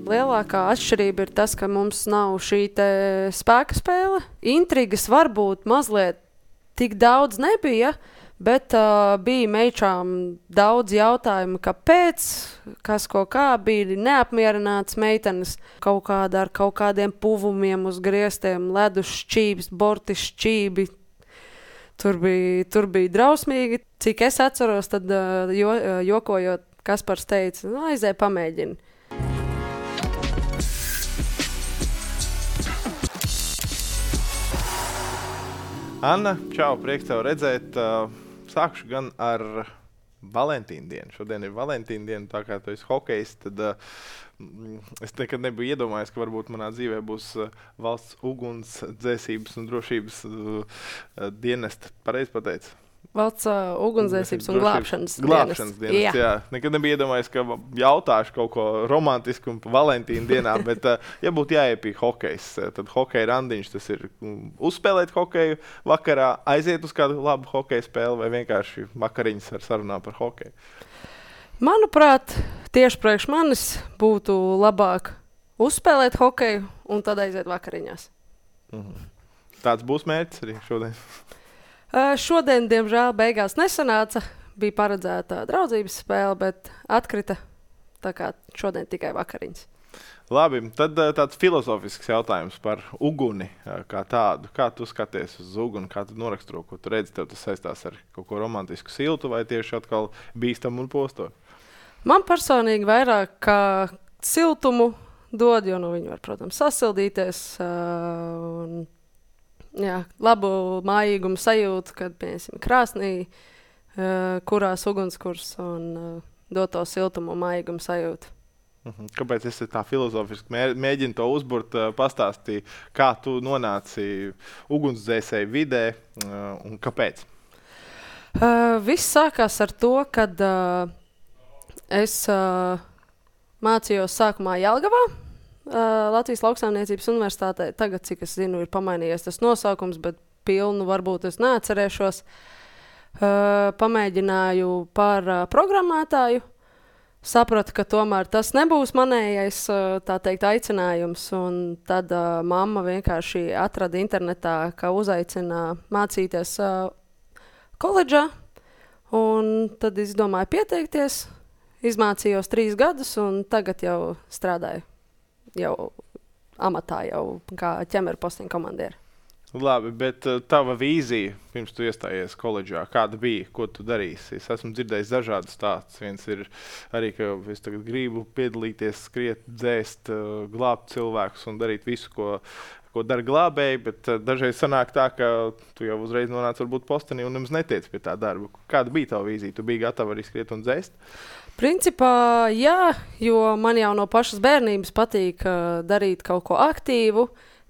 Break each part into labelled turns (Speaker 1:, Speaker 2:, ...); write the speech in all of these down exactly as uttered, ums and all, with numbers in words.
Speaker 1: lielākā atšķirība ir tas, ka mums nav šī te spēka spēle. Intrigas varbūt mazliet tik daudz nebija, bet uh, bija meičām daudz jautājumu, kāpēc, kas ko kā, bija neapmierināts meitenes kaut kādā ar kaut kādiem puvumiem uz griestiem, ledus šķības, borti šķībi. Tur bija, tur bija drausmīgi. Cik es atceros, tad uh, jo, uh, jokojot, Kaspars teica, nu, aizēj pamēģini.
Speaker 2: Anna, čau, prieks tev redzēt. Sākšu gan ar Valentīna dienu. Šodien ir Valentīna diena, tā kā tu esi hokejs, tad uh, es nekad nebiju iedomājies, ka varbūt manā dzīvē būs uh, valsts ugunsdzēsības un drošības uh, dienesta. Pareizi pateicu?
Speaker 1: Valsts uh, ugunsdzēsības un glābšanas dienests.
Speaker 2: Glābšanas dienests, jā. jā. Nekad nebija iedomājies, ka jautāšu kaut ko romantisku un Valentīna dienā, bet, uh, ja būtu jāiepīja hokejs, tad hokeja randiņš, tas ir uzspēlēt hokeju vakarā, aiziet uz kādu labu hokeja spēli vai vienkārši vakariņas ar sarunām par hokeju?
Speaker 1: Manuprāt, tieši priekš manis būtu labāk uzspēlēt hokeju un tad aiziet vakariņās.
Speaker 2: Mhm. Tāds būs mērķis arī šodien?
Speaker 1: Uh, šodien, diemžēl, beigās nesanāca. Bija paredzēta draudzības spēle, bet atkrita. Tā kā šodien tikai vakariņas.
Speaker 2: Labi, tad tāds filozofisks jautājums par uguni kā tādu. Kā tu skaties uz uguni, kā tu noraksturo, ko tu redzi, tev tas saistās ar kaut ko romantisku siltu vai tieši atkal bīstam un posto? Man
Speaker 1: personīgi vairāk kā siltumu dod, jo nu, viņi var, protams, sasildīties uh, un jā, labu mājīgumu sajūtu, kad, piemēram, krāsnī, uh, kurās ugunskurs un uh, dot to siltumu mājīgumu sajūtu.
Speaker 2: Mhm. Kāpēc es tā filozofiski mē, mēģinu to uzburt, uh, pastāstīju, kā tu nonāci ugunsdzēsēju vidē uh, un kāpēc?
Speaker 1: Uh, viss sākās ar to, kad uh, es uh, mācījos sākumā Jelgavā. Uh, Latvijas Lauksaimniecības universitātē. Tagad, cik es zinu, ir pamainījies tas nosaukums, bet pilnu varbūt es neatcerēšos. Uh, pamēģināju par uh, programmētāju. Sapratu, ka tomēr tas nebūs manējais, uh, tā teikt, aicinājums. Un tad uh, mamma vienkārši atrada internetā, ka uzaicina mācīties uh, koledžā. Un tad izdomāju pieteikties. Izmācījos trīs gadus un tagad jau strādāju. Jau amatā, jau kā ķemeru postiņu komandieri.
Speaker 2: Labi, bet uh, tava vīzija, pirms tu iestājies koledžā, kāda bija, ko tu darīsi? Es esmu dzirdējis dažādas stāstus. Viens ir arī, ka es tagad gribu piedalīties, skriet, dzēst, uh, glābt cilvēkus un darīt visu, ko, ko dara glābēji, bet uh, dažreiz sanāk tā, ka tu jau uzreiz nonāc varbūt postenī un nemaz netiec pie tā darba. Kāda bija tava vīzija? Tu biji gatava arī skriet un dzēst?
Speaker 1: Principā, jā, jo man jau no pašas bērnības patīk uh, darīt kaut ko aktīvu,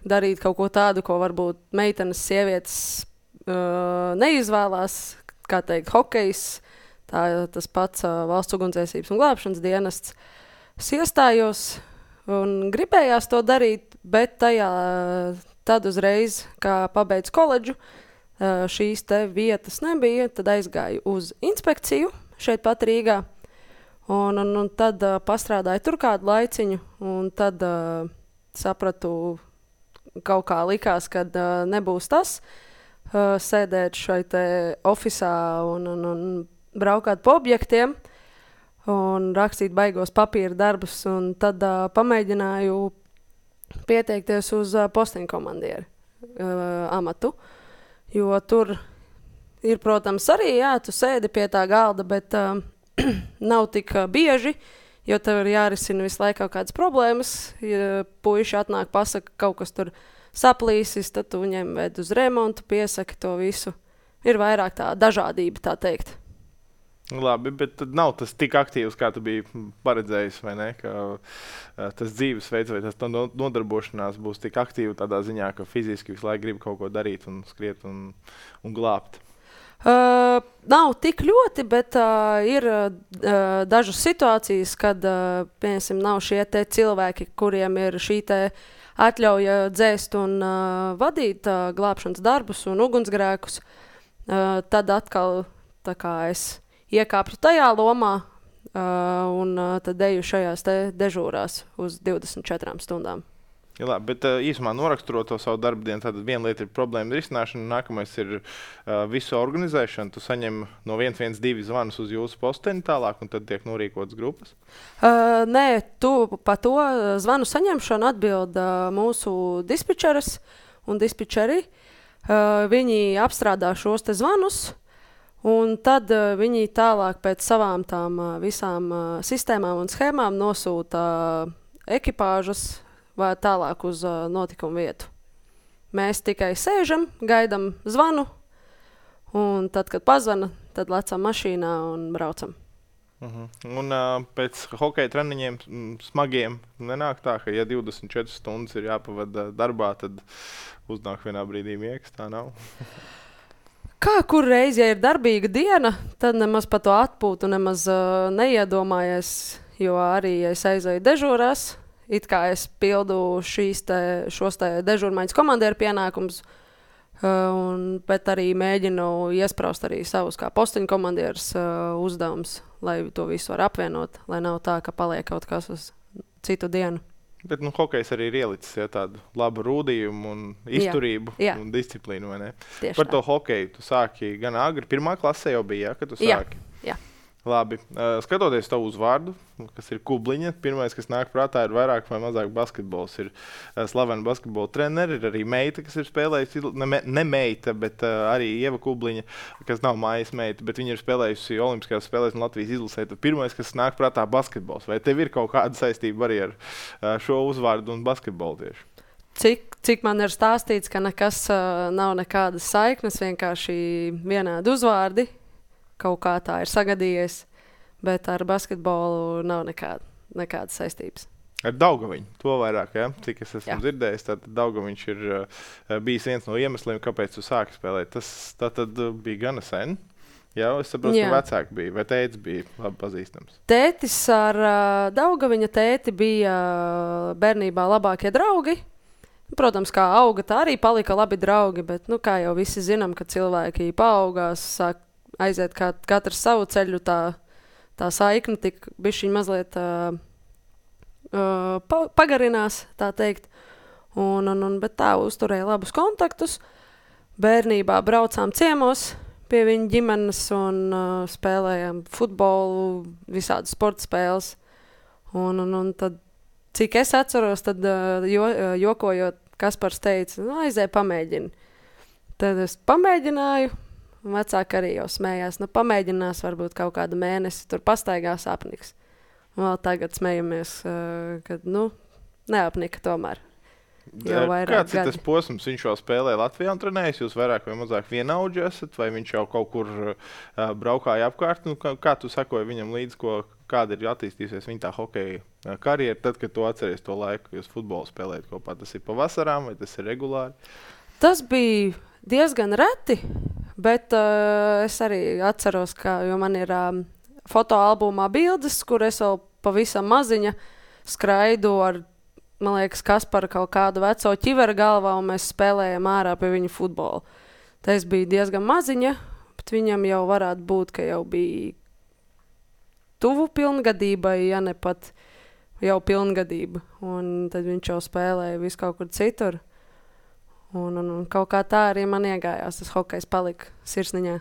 Speaker 1: darīt kaut ko tādu, ko varbūt meitenes, sievietes uh, neizvēlās, kā teikt, hokejs, tā, tas pats uh, valsts ugunsdzēsības un glābšanas dienests. Es iestājos un gribējās to darīt, bet tajā tad uzreiz, kā pabeidzu koledžu, uh, šīs te vietas nebija, tad aizgāju uz inspekciju šeit pat Rīgā. Un, un, un tad uh, pastrādāju tur kādu laiciņu, un tad uh, sapratu, kaut kā likās, ka uh, nebūs tas uh, sēdēt šai te ofisā un, un, un braukāt pa objektiem un rakstīt baigos papīra darbus, un tad uh, pamēģināju pieteikties uz uh, postiņu komandieri uh, amatu, jo tur ir, protams, arī, jā, tu sēdi pie tā galda, bet uh, nav tik uh, bieži, jo tev ir jārisina visu laiku kaut kādas problēmas. Ja puiši atnāk, pasaka, kaut kas tur saplīsis, tad tu viņiem ved uz remontu, piesaki to visu. Ir vairāk tā dažādība, tā teikt.
Speaker 2: Labi, bet tad nav tas tik aktīvs, kā tu biji paredzējis, vai ne? Ka uh, tas dzīvesveids vai tas nodarbošanās būs tik aktīvi tādā ziņā, ka fiziski visu laiku grib kaut ko darīt un skriet un, un glābt.
Speaker 1: Uh, nav tik ļoti, bet uh, ir uh, dažas situācijas, kad uh, piemēram, nav šie te cilvēki, kuriem ir šī te atļauja dzēst un uh, vadīt uh, glābšanas darbus un ugunsgrēkus. Uh, tad atkal tā kā es iekāptu tajā lomā, uh, un uh, tad eju šajās te dežūrās uz divdesmit četrām stundām.
Speaker 2: Ja, labi, bet uh, īsumā noraksturot to savu darbu dienu, tad viena lieta ir problēma risināšana, nākamais ir uh, visu organizēšana. Tu saņem no viens viens divi zvanus uz jūsu posteni tālāk, un tad tiek norīkotas grupas?
Speaker 1: Uh, nē, tu pa to zvanu saņemšanu atbild uh, mūsu dispečeris un dispečeri. Uh, viņi apstrādā šos te zvanus, un tad uh, viņi tālāk pēc savām tām uh, visām uh, sistēmām un schēmām nosūta uh, ekipāžas vai tālāk uz uh, notikumu vietu. Mēs tikai sēžam, gaidam zvanu, un tad, kad pazvana, tad lecam mašīnā un braucam.
Speaker 2: Uh-huh. Un uh, pēc hokeja treniņiem m, smagiem nenāk tā, ka ja divdesmit četras stundas ir jāpavada darbā, tad uznāk vienā brīdī miegs, tā nav?
Speaker 1: Kā kur reiz, ja ir darbīga diena, tad nemaz par to atpūtu nemaz uh, neiedomājies, jo arī es aizēju dežūrās, it kā es pildu šīs te, šos te dežūrmaiņas komandieru pienākums, uh, un, bet arī mēģinu iespraust arī savus kā postiņu komandieris uh, uzdevums, lai to visu var apvienot, lai nav tā, ka paliek kaut kas uz citu dienu.
Speaker 2: Bet nu, hokejs arī ir ielicis ja, tādu labu rūdījumu un izturību
Speaker 1: jā, jā.
Speaker 2: un disciplīnu, vai ne?
Speaker 1: Tieši
Speaker 2: Par
Speaker 1: tā.
Speaker 2: to hokeju tu sāki gan agri, pirmā klasē jau bija, ja, kad tu sāki?
Speaker 1: Jā, jā.
Speaker 2: Labi, uh, skatoties tavu uzvārdu, kas ir Kubliņa, pirmais, kas nāk prātā, ir vairāk vai mazāk basketbols. Ir uh, slavena basketbola treneri, ir arī meita, kas ir spēlējusi, ne, me, ne meita, bet uh, arī Ieva Kubliņa, kas nav mājas meita, bet viņa ir spēlējusi Olimpiskajās spēlēs un Latvijas izlasē. Tad pirmais, kas nāk prātā, basketbols. Vai tev ir kaut kāda saistība arī ar uh, šo uzvārdu un basketbolu tieši?
Speaker 1: Cik, cik man ir stāstīts, ka nekas uh, nav nekādas saiknes, vienkārši vienādi uzvārdi. Kaut kā tā ir sagadījies, bet ar basketbolu nav nekāda, nekādas saistības.
Speaker 2: Ar Daugaviņu, to vairāk, ja? Cik es esmu
Speaker 1: Jā.
Speaker 2: dzirdējis, tad Daugaviņš ir uh, bijis viens no iemesliem, kāpēc tu sāki spēlēt. Tas tā tad uh, bija gana sen. Jā, es saprotu,
Speaker 1: Jā.
Speaker 2: ka vecāki bija, vai tētis bija labi pazīstams?
Speaker 1: Tētis ar uh, Daugaviņa tēti bija uh, bērnībā labākie draugi. Protams, kā auga, tā arī palika labi draugi, bet, nu, kā jau visi zinām, ka cilvēki paaugās, sāk aiziet kā katrs savu ceļu, tā, tā saikne tik bišķiņ mazliet uh, uh, pa, pagarinās, tā teikt. Un, un, un, bet tā uzturēja labus kontaktus. Bērnībā braucām ciemos pie viņa ģimenes un uh, spēlējām futbolu, visādas sporta spēles. Un, un, un tad, cik es atceros, tad uh, jo, uh, jokojot, Kaspars teica, nu, aizēj pamēģini. Tad es pamēģināju. Vecāki arī jau smējās, nu pamēģinās varbūt kaut kādu mēnesi, tur pastaigās apniks. Un vēl tagad smejamies, uh, kad, nu, neapnika tomēr. Jau vairāk
Speaker 2: Kāds ir
Speaker 1: gadi.
Speaker 2: tas posms? Viņš jau spēlē Latvijā un trenējas, jūs vairāk vai mazāk vienaudži esat, vai viņš jau kaut kur uh, braukāja apkārt? Nu, kā, kā tu sakoji viņam līdz, ko, kāda ir attīstījusies viņa tā hokeja uh, karjera, tad, kad tu atceries to laiku, kad jūs futbolu spēlējat kopā? Tas ir pavasarām vai tas ir regulāri?
Speaker 1: Tas bija diezgan reti, bet uh, es arī atceros, ka, jo man ir um, fotoalbumā bildes, kur es vēl pavisam maziņa skraidu ar, man liekas, Kasparu kaut kādu veco ķiveru galvā, un mēs spēlējam ārā pie viņa futbolu. Tā es biju diezgan maziņa, bet viņam jau varētu būt, ka jau bija tuvu pilngadībai, ja ne pat jau pilngadība. Un tad viņš jau spēlēja visu kaut kur citur. Un, un, un kaut kā tā arī man iegājās, tas hokejs palika sirsniņā.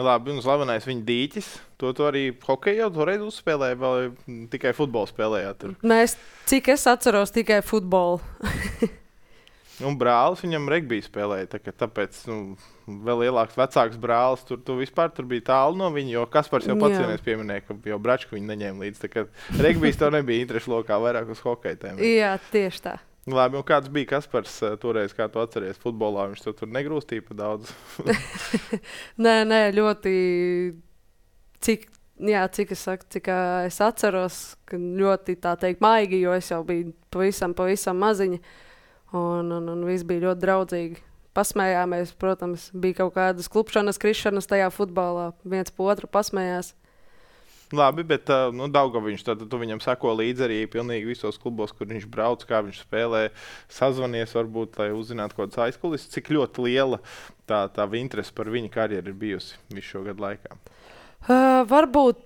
Speaker 2: Labi, un slavenais viņa dīķis, to tu arī hokeju jau toreiz uzspēlēja, vai tikai futbolu spēlējāt tur?
Speaker 1: Mēs, cik es atceros, tikai futbolu.
Speaker 2: Un brālis viņam regbiju spēlēja, tā, tāpēc nu, vēl lielāks vecāks brālis, tur tu vispār tur bija tālu no viņa, jo Kaspars jau pats
Speaker 1: Jā.
Speaker 2: vienreiz pieminēja, ka jau bračku viņu neņēma līdz, tā kā regbijs tev nebija interešu lokā, vairāk uz hokeju tēmē.
Speaker 1: Jā, tieši tā.
Speaker 2: Labi, un kāds bija Kaspars uh, toreiz, kā tu atceries futbolā, viņš to tur negrūstīja pa daudz?
Speaker 1: Nē, nē, ļoti, cik, jā, cik es saku, cik ā, es atceros, ka ļoti tā teikt maigi, jo es jau biju pavisam, pavisam maziņa, un, un, un viss bija ļoti draudzīgi. Pasmējāmies, protams, bija kaut kādas klupšanas, krišanas tajā futbolā, viens pa otru pasmējās.
Speaker 2: Labi, bet uh, nu, Daugaviņš, tad tu viņam sako līdzi arī pilnīgi visos klubos, kur viņš brauc, kā viņš spēlē, sazvanies varbūt, lai uzzinātu kaut kādas aizkulis. Cik ļoti liela tā, tā interese par viņa karjeru ir bijusi visu šo gadu laikā?
Speaker 1: Uh, varbūt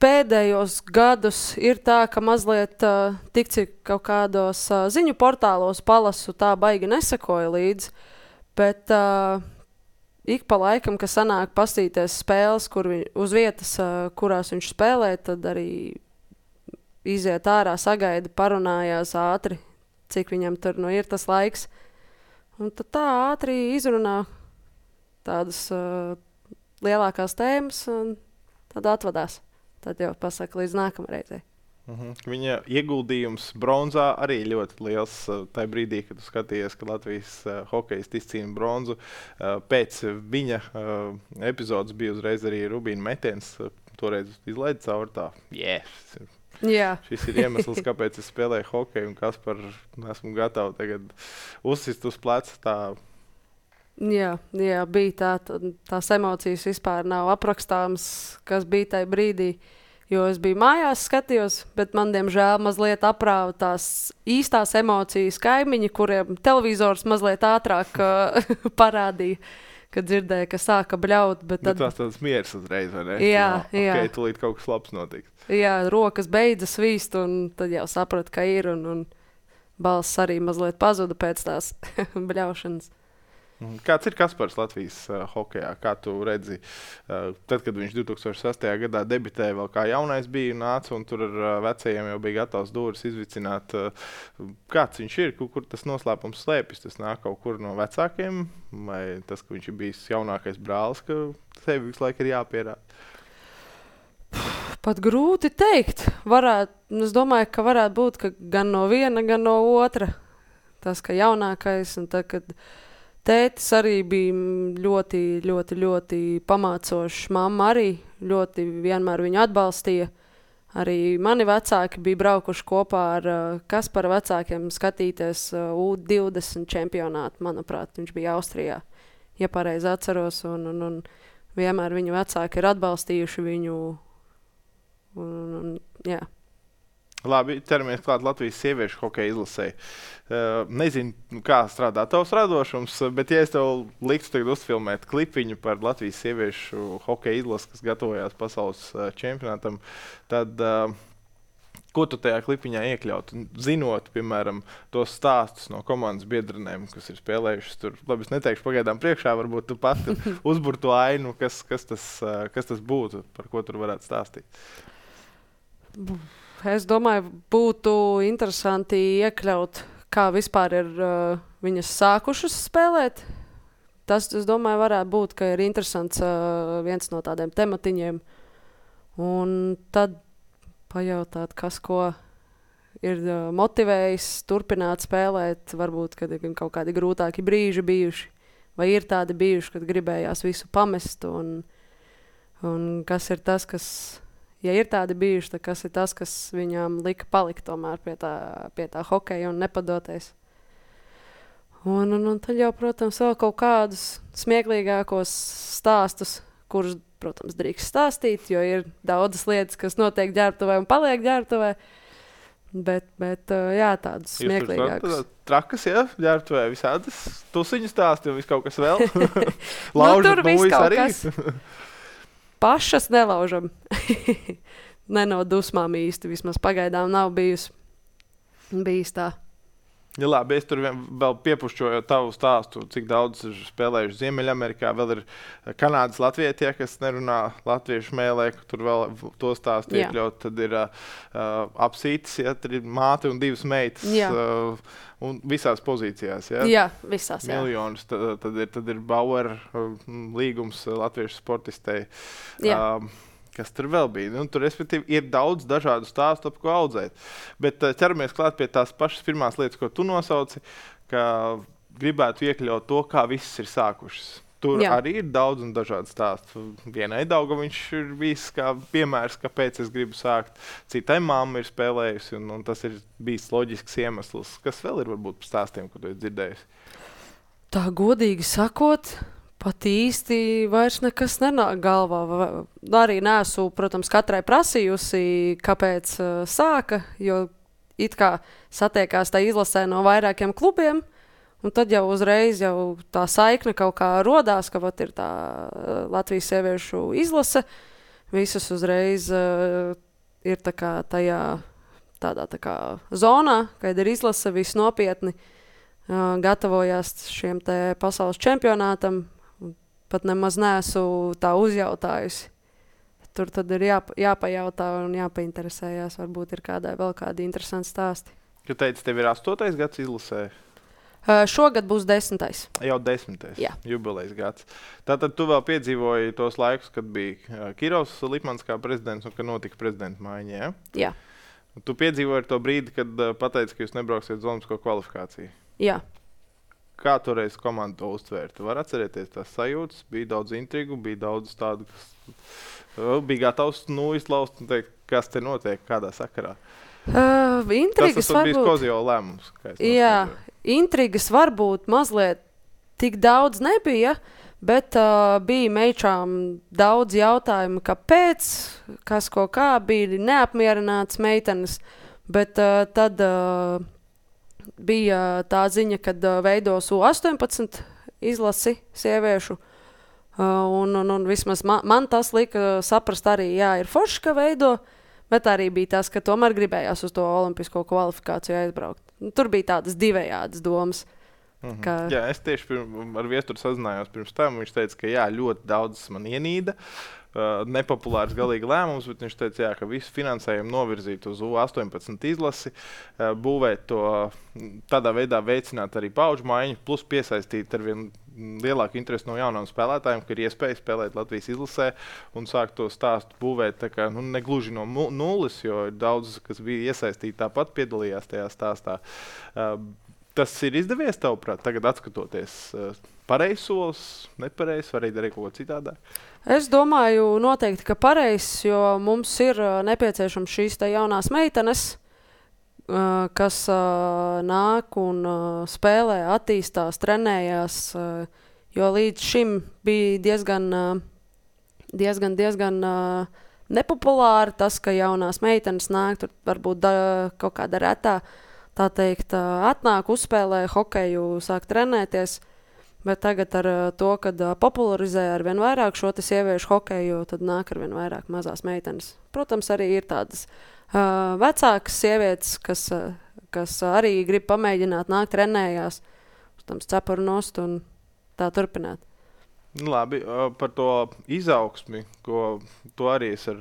Speaker 1: pēdējos gadus ir tā, ka mazliet uh, tik cik kaut kādos uh, ziņu portālos palasu, tā baigi nesakoja līdzi, bet uh, ik pa laikam, ka sanāk pastīties spēles, kur vi, uz vietas, uh, kurās viņš spēlē, tad arī iziet ārā, sagaida, parunājās ātri, cik viņam tur nu ir tas laiks. Un tad tā ātri izrunā tādas uh, lielākās tēmas un tad atvadās. Tad jau pasaka līdz nākamreizei.
Speaker 2: Uh-huh. Viņa ieguldījums bronzā arī ļoti liels uh, tajā brīdī, kad tu skatījies, ka Latvijas uh, hokejs izcīna bronzu. Uh, pēc viņa uh, epizodes bija uzreiz arī Rubīna metiens. Uh, toreiz izlaida caur tā. Yes.
Speaker 1: Jā.
Speaker 2: Šis ir iemesls, kāpēc es spēlēju hokeju un kas par esmu gatava tagad uzsist uz pleca tā.
Speaker 1: Jā, jā, bija tā, tā, tās emocijas vispār nav aprakstāmas, kas bija tajā brīdī, jo es biju mājās skatījos, bet man, diemžēl, mazliet aprāva tās īstās emocijas kaimiņi, kuriem televizors mazliet ātrāk uh, parādīja, kad dzirdēja, ka sāka bļaut. Bet tad...
Speaker 2: Bet tās tādas mieras uzreiz, vai ne?
Speaker 1: Jā,
Speaker 2: no,
Speaker 1: jā.
Speaker 2: Ok, tulīt kaut kas labs notiks.
Speaker 1: Jā, rokas beidza svīst, un tad jau sapratu, ka ir, un, un balss arī mazliet pazuda pēc tās bļaušanas.
Speaker 2: Kāds ir Kaspars Latvijas uh, hokejā? Kā tu redzi, uh, tad, kad viņš divi tūkstoši sastajā gadā debitēja, vēl kā jaunais bija nāca, un tur ar uh, vecajiem jau bija gatavs dūris izvicināt. Uh, kāds viņš ir? Kur, kur tas noslēpums slēpjas? Tas nāk kaut kur no vecākiem? Vai tas, ka viņš ir bijis jaunākais brālis, ka sevi visu laiku ir jāpierāda?
Speaker 1: Pat grūti teikt. Varētu, es domāju, ka varētu būt ka gan no viena, gan no otra. Tas, ka jaunākais, un tad, kad tētis arī bija ļoti, ļoti, ļoti pamācošs. Mamma arī ļoti vienmēr viņu atbalstīja. Arī mani vecāki bija braukuši kopā ar uh, Kaspara vecākiem skatīties uh, U divdesmit čempionātu. Manuprāt, viņš bija Austrijā, ja pareizi atceros. Un, un, un vienmēr viņu vecāki ir atbalstījuši viņu. Un, un, jā.
Speaker 2: Labi, ķeramies klāt Latvijas sieviešu hokeja izlasē. Uh, nezinu, kā strādā tavs radošums, bet ja es tev liktu tagad uzfilmēt klipiņu par Latvijas sieviešu hokeja izlasi, kas gatavojās pasaules uh, čempionātam, tad uh, ko tu tajā klipiņā iekļaut? Zinot, piemēram, tos stāstus no komandas biedrenēm, kas ir spēlējušas tur. Labi, es neteikšu pagaidām priekšā, varbūt tu pati uzbur to ainu, kas, kas, tas, uh, kas tas būtu, par ko tur varētu stāstīt.
Speaker 1: Es domāju, būtu interesanti iekļaut, kā vispār ir uh, viņas sākušas spēlēt. Tas, es domāju, varētu būt, ka ir interesants uh, viens no tādiem tematiņiem. Un tad pajautāt, kas ko ir uh, motivējis turpināt spēlēt. Varbūt, kad ir kaut kādi grūtāki brīži bijuši. Vai ir tādi bijuši, kad gribējās visu pamest. Un, un kas ir tas, kas... Ja ir tādi bijuši, tad kas ir tas, kas viņām lika palikt tomēr pie tā, pie tā hokeja un nepadoties. Un, un, un tad jau, protams, vēl kaut kādus smieklīgākos stāstus, kurus, protams, drīkst stāstīt, jo ir daudzas lietas, kas notiek ģērbtuvē un paliek ģērbtuvē. Bet, bet jā, tādas smieklīgākas.
Speaker 2: Trakas, jā, ģērbtuvē visādas tusiņu stāsti un viss kaut kas vēl. Laužat
Speaker 1: nu,
Speaker 2: mūjas arī.
Speaker 1: Pašas nelaužam. Ne no dusmām īsti, vismaz pagaidām nav bijis, bijis tā.
Speaker 2: Ja labi, es tur vien, vēl piepušķoju tavu stāstu, cik daudz ir spēlējuši Ziemeļamerikā. Vēl ir Kanādas latvietie, kas nerunā latviešu mēlē, tur vēl to stāstu iekļaut. Tad ir uh, apsītis, ja, tad ir māte un divas meitas. Uh, un visās pozīcijās, ja?
Speaker 1: Jā, visās, jā.
Speaker 2: Miljonus. Tad, tad, ir, tad ir Bauer uh, līgums latviešu sportistei.
Speaker 1: Jā.
Speaker 2: Uh, Kas tur vēl bija? Nu, tur, respektīvi, ir daudz dažādu stāstu, ap ko audzēt. Bet uh, ķeramies klāt pie tās pašas pirmās lietas, ko tu nosauci, ka gribētu iekļaut to, kā viss ir sākušas. Tur Jā. Arī ir daudz un dažādu stāstu. Vienai Daugaviņš ir bijis kā piemērs, kāpēc es gribu sākt. Citai mamma ir spēlējusi, un, un tas ir bijis loģisks iemesls. Kas vēl ir varbūt par stāstiem, ko tu esi dzirdējusi?
Speaker 1: Tā godīgi sakot... Pat īsti vairs nekas nenāk galvā. Arī neesmu, protams, katrai prasījusi, kāpēc uh, sāka, jo it kā satiekās tā izlasē no vairākiem klubiem, un tad jau uzreiz jau tā saikne kaut kā rodās, ka vat ir tā uh, Latvijas sieviešu izlase. visas uzreiz uh, ir tā kā tajā tādā tā kā zonā, kad ir izlase viss nopietni, uh, gatavojās šiem te pasaules čempionātam, pat nemaz neesmu tā uzjautājusi. Tur tad ir jāpa, jāpajautā un jāpainteresējās, varbūt ir kādai vēl kādi interesanti stāsti.
Speaker 2: Tu teici, tev ir astotais gads izlasē?
Speaker 1: Uh, šogad būs desmitais.
Speaker 2: Jau desmitais,
Speaker 1: Jā.
Speaker 2: Jubilejas gads. Tātad tu vēl piedzīvoji tos laikus, kad bija Kirovs Lipmans kā prezidents un kad notika prezidenta maiņa, ja?
Speaker 1: Jā.
Speaker 2: Tu piedzīvoji to brīdi, kad uh, pateici, ka jūs nebrauksiet uz olimpisko kvalifikāciju.
Speaker 1: Jā.
Speaker 2: Kā toreiz komanda to uztvēra? Tu vari atcerēties tās sajūtas, bija daudz intrigu, bija daudz tādu, kas bija gatavs nu izlaust un teikt, kas te notiek, kādā sakarā.
Speaker 1: Uh, intrigas
Speaker 2: tas tas bija
Speaker 1: varbūt...
Speaker 2: Kozio lēmums.
Speaker 1: Jā, intrigas varbūt mazliet tik daudz nebija, bet uh, bija meičām daudz jautājumu, kāpēc, kas ko kā, bija neapmierināts meitenes, bet uh, tad... Uh, bija tā ziņa, kad uh, veidos U astoņpadsmit izlasi sieviešu, uh, un, un, un vismaz man, man tas lika saprast arī, jā, ir forši, ka veido, bet arī bija tas, ka tomēr gribējās uz to olimpisko kvalifikāciju aizbraukt. Tur bija tādas divējādas domas.
Speaker 2: Mhm.
Speaker 1: Ka...
Speaker 2: Jā, es tieši pirm, ar Viesturu sazinājos pirms tam, viņš teica, ka jā, ļoti daudz man ienīda. Uh, nepopulārs galīgi lēmums, bet viņš teica, jā, ka visu finansējumu novirzīt uz U astoņpadsmit izlasi, uh, būvēt to, tādā veidā veicināt arī paudžu maiņu, plus piesaistīt ar vien lielāku interesi no jaunām spēlētājiem, ka ir iespēja spēlēt Latvijas izlasē un sākt to stāstu būvēt tā kā, nu, negluži no nulles, jo daudz, kas bija iesaistīti, tāpat piedalījās tajā stāstā. Uh, tas ir izdevies tavuprāt, tagad atskatoties uh, pareizs solis, nepareizs, vai arī darīt kaut ko citādāk?
Speaker 1: Es domāju noteikti, ka pareizs, jo mums ir uh, nepieciešams šīs te jaunās meitenes, uh, kas uh, nāk un uh, spēlē, attīstās, trenējās, uh, jo līdz šim bija diezgan, uh, diezgan, diezgan uh, nepopulāri tas, ka jaunās meitenes nāk, tur varbūt da, kaut kāda retā, tā teikt, uh, atnāk, uzspēlē hokeju, sāk trenēties. Bet tagad ar uh, to, kad uh, popularizē ar vien vairāk šo te sieviešu hokeju, tad nāk ar vien vairāk mazās meitenes. Protams, arī ir tādas uh, vecākas sievietes, kas, uh, kas arī grib pamēģināt, nāk trenējās, protams, cepuru nost un tā turpināt.
Speaker 2: Labi, uh, par to izaugsmi, ko to arī es ar,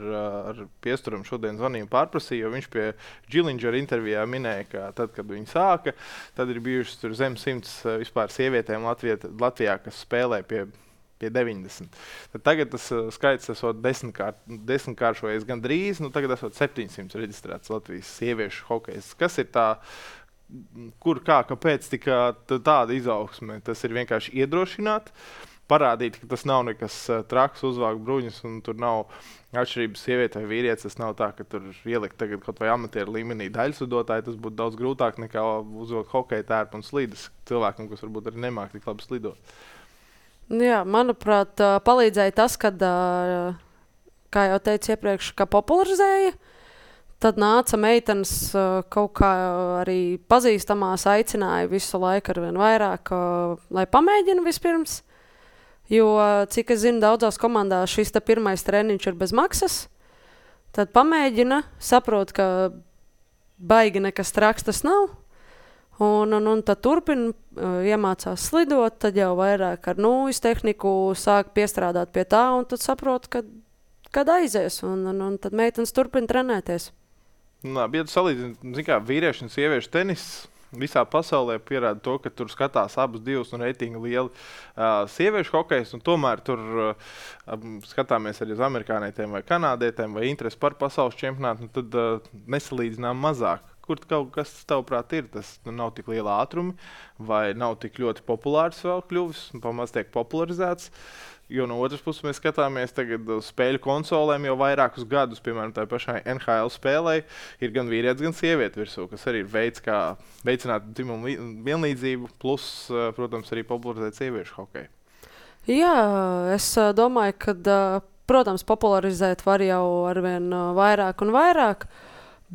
Speaker 2: ar Piesturam šodien zvanīju pārprasīju, jo viņš pie Džilingera intervijā minēja, ka tad, kad viņi sāka, tad ir bijušas tur zem simts vispār sievietēm Latvijā, Latvijā kas spēlē pie, pie deviņdesmit. Tad tagad tas uh, skaits esot desmitkārt, desmitkāršojies gan drīz, nu tagad esot septiņsimt reģistrēts Latvijas sieviešu hokejs. Kas ir tā, kur, kā, kāpēc tika tāda izaugsme? Tas ir vienkārši iedrošināt, parādīt, ka tas nav nekas uh, traks, uzvākt bruņus, un tur nav atšķirības sieviete vai vīrietis. Tas nav tā, ka tur ielikt tagad kaut vai amatieru līmenī daļsudotāji. Tas būtu daudz grūtāk nekā uzvilkt hokeja tērpu un slīdes cilvēkam, kas varbūt arī nemāk tik labi slidot.
Speaker 1: Jā, manuprāt, uh, palīdzēja tas, kad, uh, kā jau teicu iepriekš, ka popularizēja. Tad nāca meitenes uh, kaut kā arī pazīstamās, aicināja visu laiku ar vien vairāk, uh, lai pamēģina vispirms. Jo, cik es zinu, daudzās komandās šis te pirmais treniņš ir bez maksas, tad pamēģina, saprot, ka baigi nekas traks tas nav, un, un, un tad turpina, uh, iemācās slidot, tad jau vairāk ar nūjas tehniku sāk piestrādāt pie tā, un tad saprot, kad, kad aizies, un, un, un tad meitenes turpina trenēties.
Speaker 2: Labi, ja tu salīdzini, zin kā, vīriešu un sieviešu tenis, visā pasaulē pierāda to, ka tur skatās abas divas un reitingi lieli uh, sieviešu hokejs, un tomēr tur uh, skatāmies arī uz amerikānietiem vai kanādietiem vai interesi par pasaules čempionātu, tad uh, nesalīdzinām mazāk. Kur kaut kas, tavuprāt, ir? Tas nu, nav tik liela ātrumi vai nav tik ļoti populārs vēl kļuvis un pamaz tiek popularizēts. Jo no otras puses mēs skatāmies tagad uz spēļu konsolēm jau vairākus gadus, piemēram, tā pašai N H L spēlei ir gan vīrietis, gan sieviete virsū, kas arī ir veids, kā veicināt dzimumu vienlīdzību, plus, protams, arī popularizēt sieviešu hokeju.
Speaker 1: Jā, es domāju, ka, protams, popularizēt var jau arvien vairāk un vairāk,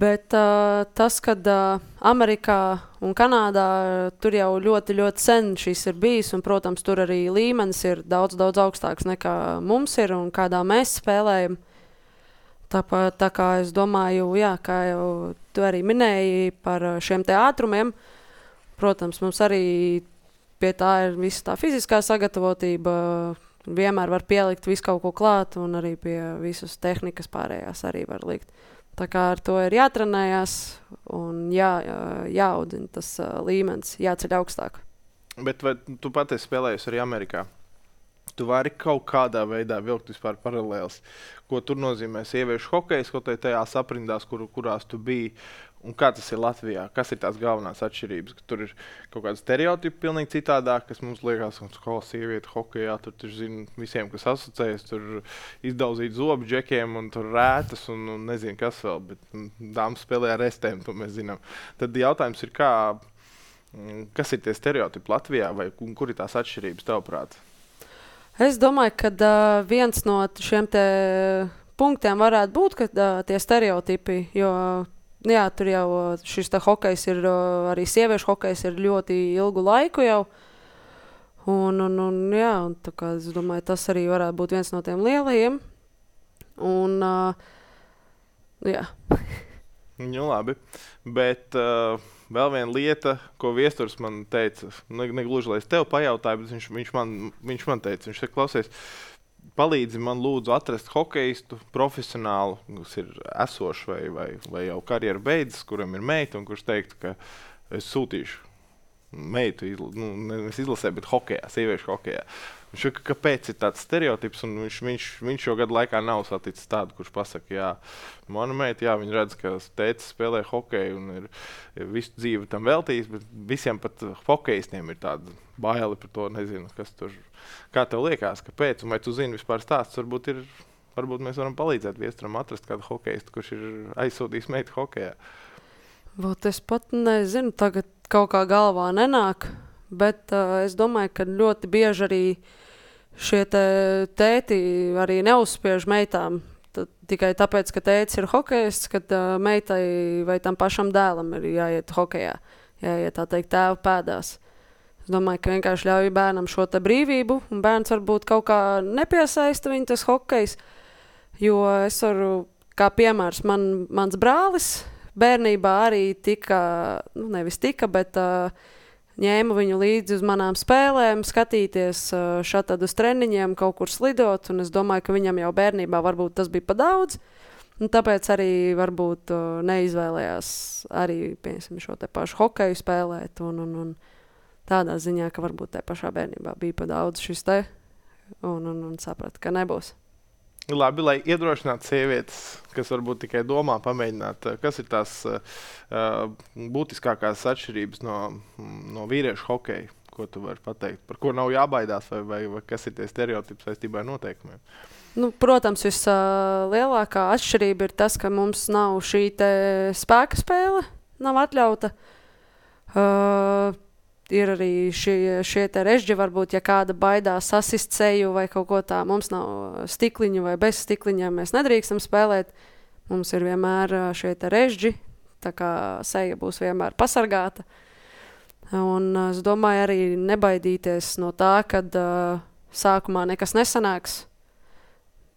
Speaker 1: bet uh, tas, kad uh, Amerikā un Kanādā uh, tur jau ļoti, ļoti sen šis ir bijis, un, protams, tur arī līmenis ir daudz, daudz augstāks nekā mums ir un kādā mēs spēlējam. Tāpēc, tā kā es domāju, jā, kā jau tu arī minēji par šiem te ātrumiem, protams, mums arī pie tā ir visa tā fiziskā sagatavotība, vienmēr var pielikt visu kaut ko klāt, un arī pie visas tehnikas pārējās arī var likt. Tā kā ar to ir jātrenējās un jā, jāaudzina tas līmenis, jāceļ augstāk.
Speaker 2: Bet vai tu pati esi spēlējusi arī Amerikā? Tu vari kaut kādā veidā vilkt vispār paralēlis, ko tur nozīmē sieviešu hokejs, kaut tajās aprindās, kur, kurās tu biji, un kā tas ir Latvijā? Kas ir tās galvenās atšķirības? Ka tur ir kaut kāda stereotipa pilnīgi citādāk, kas mums liekas, ka sieviete hokejā, tur, tur zina visiem, kas asociējas, tur izdauzīt zobu džekiem un tur rētas un, un nezinu kas vēl, bet dāmas spēlē ar restēm, to mēs zinām. Tad jautājums ir, kā, kas ir tie stereotipi Latvijā vai kur ir tās atšķirības tavuprāt?
Speaker 1: Es domāju, ka uh, viens no šiem te punktiem varētu būt, ka uh, tie stereotipi, jo jā, tur jau šis te hokejs ir, uh, arī sieviešu hokejs ir ļoti ilgu laiku jau. Un, un, un jā, un tā kā es domāju, tas arī varētu būt viens no tiem lielajiem. Un, uh, jā.
Speaker 2: Nu, labi, bet uh, vēl viena lieta, ko viesturs man teica, ne, ne gluži, lai es tev pajautāju, bet viņš, viņš, man, viņš man teica, viņš teica, klausies, palīdzi man lūdzu atrast hokeistu profesionālu, kas ir esošs vai, vai, vai jau karjeru beidzis, kuram ir meita un kurš teiktu, ka es sūtīšu meitu, izla, nu, nevis izlasē, bet hokejā, sieviešu hokejā. Viņš saka, kāpēc ir tāds stereotips, un viņš, viņš, viņš šo gadu laikā nav saticis tādu, kurš pasaka, jā, mana meita, jā, viņa redz, ka tētis spēlē hokeju un ir, ir visu dzīvi tam veltījis, bet visiem pat hokejistiem ir tāda baili par to, nezinu, kas tur, kā tev liekas, kāpēc, un vai tu zini vispār stāsts, varbūt ir, varbūt mēs varam palīdzēt viesturam atrast kādu hokejistu, kurš ir aizsūtījis meitu hokejā.
Speaker 1: Vot es pat nezinu, tagad kaut kā galvā nenāk, bet uh, es domāju, ka ļoti bieži arī šie te tēti arī neuzspiež meitām. Tad, tikai tāpēc, ka tētis ir hokejists, kad uh, meitai vai tam pašam dēlam ir jāiet hokejā, jāiet tā teikt tēva pēdās. Es domāju, ka vienkārši ļauj bērnam šo te brīvību, un bērns varbūt kaut kā nepiesaista viņu tas hokejs, jo es varu, kā piemērs, man, mans brālis bērnībā arī tika, nu nevis tika, bet uh, ņēmu viņu līdzi uz manām spēlēm, skatīties uh, šatad uz treniņiem, kaut kur slidot, un es domāju, ka viņam jau bērnībā varbūt tas bija pa daudz, un tāpēc arī varbūt uh, neizvēlējās arī, piemēram, šo te pašu hokeju spēlēt, un, un, un tādā ziņā, ka varbūt te pašā bērnībā bija pa daudz šis te, un, un, un saprat, ka nebūs.
Speaker 2: Labi, lai iedrošinātu sievietes, kas varbūt tikai domā pamēģināt, kas ir tās uh, būtiskākās atšķirības no, no vīriešu hokeja, ko tu vari pateikt, par ko nav jābaidās, vai, vai, vai kas ir tie stereotipi saistībā ar noteikumiem?
Speaker 1: Nu, protams, vislielākā uh, atšķirība ir tas, ka mums nav šī te spēka spēle, nav atļauta. Uh, Ir arī šie, šie te režģi, varbūt, ja kāda baidās sasist seju vai kaut ko tā, mums nav stikliņu vai bez stikliņiem, mēs nedrīkstam spēlēt. Mums ir vienmēr šie te režģi, tā kā seja būs vienmēr pasargāta. Un es domāju arī nebaidīties no tā, kad uh, sākumā nekas nesanāks.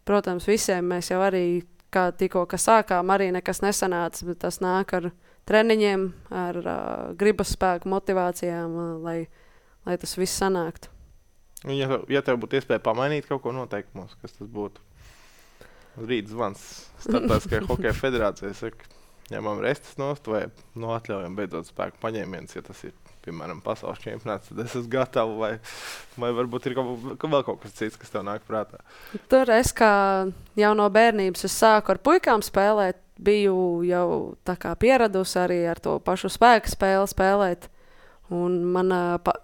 Speaker 1: Protams, visiem mēs jau arī, kā tikko, ka sākām, arī nekas nesanāca, bet tas nāk ar treniņiem, ar uh, gribas spēku, motivācijām, uh, lai, lai tas viss sanāktu.
Speaker 2: Ja, ja tev būtu iespēja pamainīt kaut ko noteikumos, kas tas būtu? Rīt zvans Starptautiskajai hokeja federācijai, saka, ņemam restas nost vai no atļaujam beidzot spēku paņēmienus, ja tas ir, piemēram, pasaules čempionāts, tad es esmu gatava, vai, vai varbūt ir kaut, vēl kaut kas cits, kas tev nāk prātā? Tur
Speaker 1: es kā jau no bērnības es sāku ar puikām spēlēt, biju jau tā kā pieradusi arī ar to pašu spēku spēli spēlēt. Un man, pa,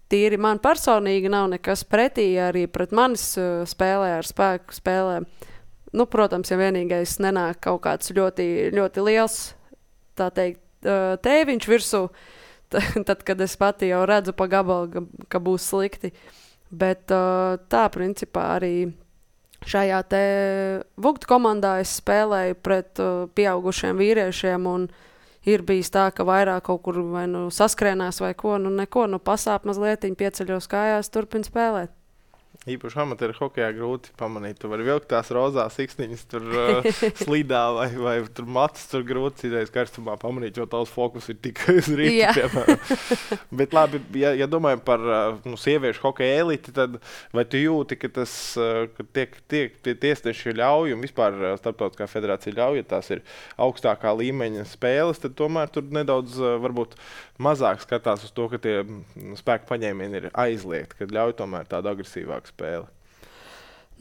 Speaker 1: tīri man personīgi nav nekas pretī arī pret manis spēlē ar spēku spēlēm. Nu, protams, ja vienīgais nenāk kaut kāds ļoti, ļoti liels, tā teikt, tēviņš virsū, tad, kad es pati jau redzu pa gabalu, ka būs slikti. Bet tā, principā, arī šajā te Vugtu komandā es spēlēju pret uh, pieaugušiem vīriešiem, un ir bijis tā, ka vairāk kaut kur vai nu saskrienās vai ko, nu neko, nu pasāp mazlietiņ, pieceļos kājās, turpin spēlēt.
Speaker 2: Īpaši amatieru hokejā grūti pamanīt. Tu vari vilkt tās rozās siksniņas tur uh, slidā vai, vai tur matus tur grūti citreiz karstumā pamanīt, jo tavs fokus ir tikai uz rītu, piemēram. Bet labi, ja, ja domājam par uh, nu, sieviešu hokeja eliti, tad vai tu jūti, ka tas, uh, ka tiek, tiek tie tiesneši ļauj un vispār uh, starptautiskā federācija ļauj, ja tās ir augstākā līmeņa spēles, tad tomēr tur nedaudz uh, varbūt mazāk skatās uz to, ka tie spēku paņēmieni ir aizliegti, kad ļauj tomēr tādu agresīvāku spēli.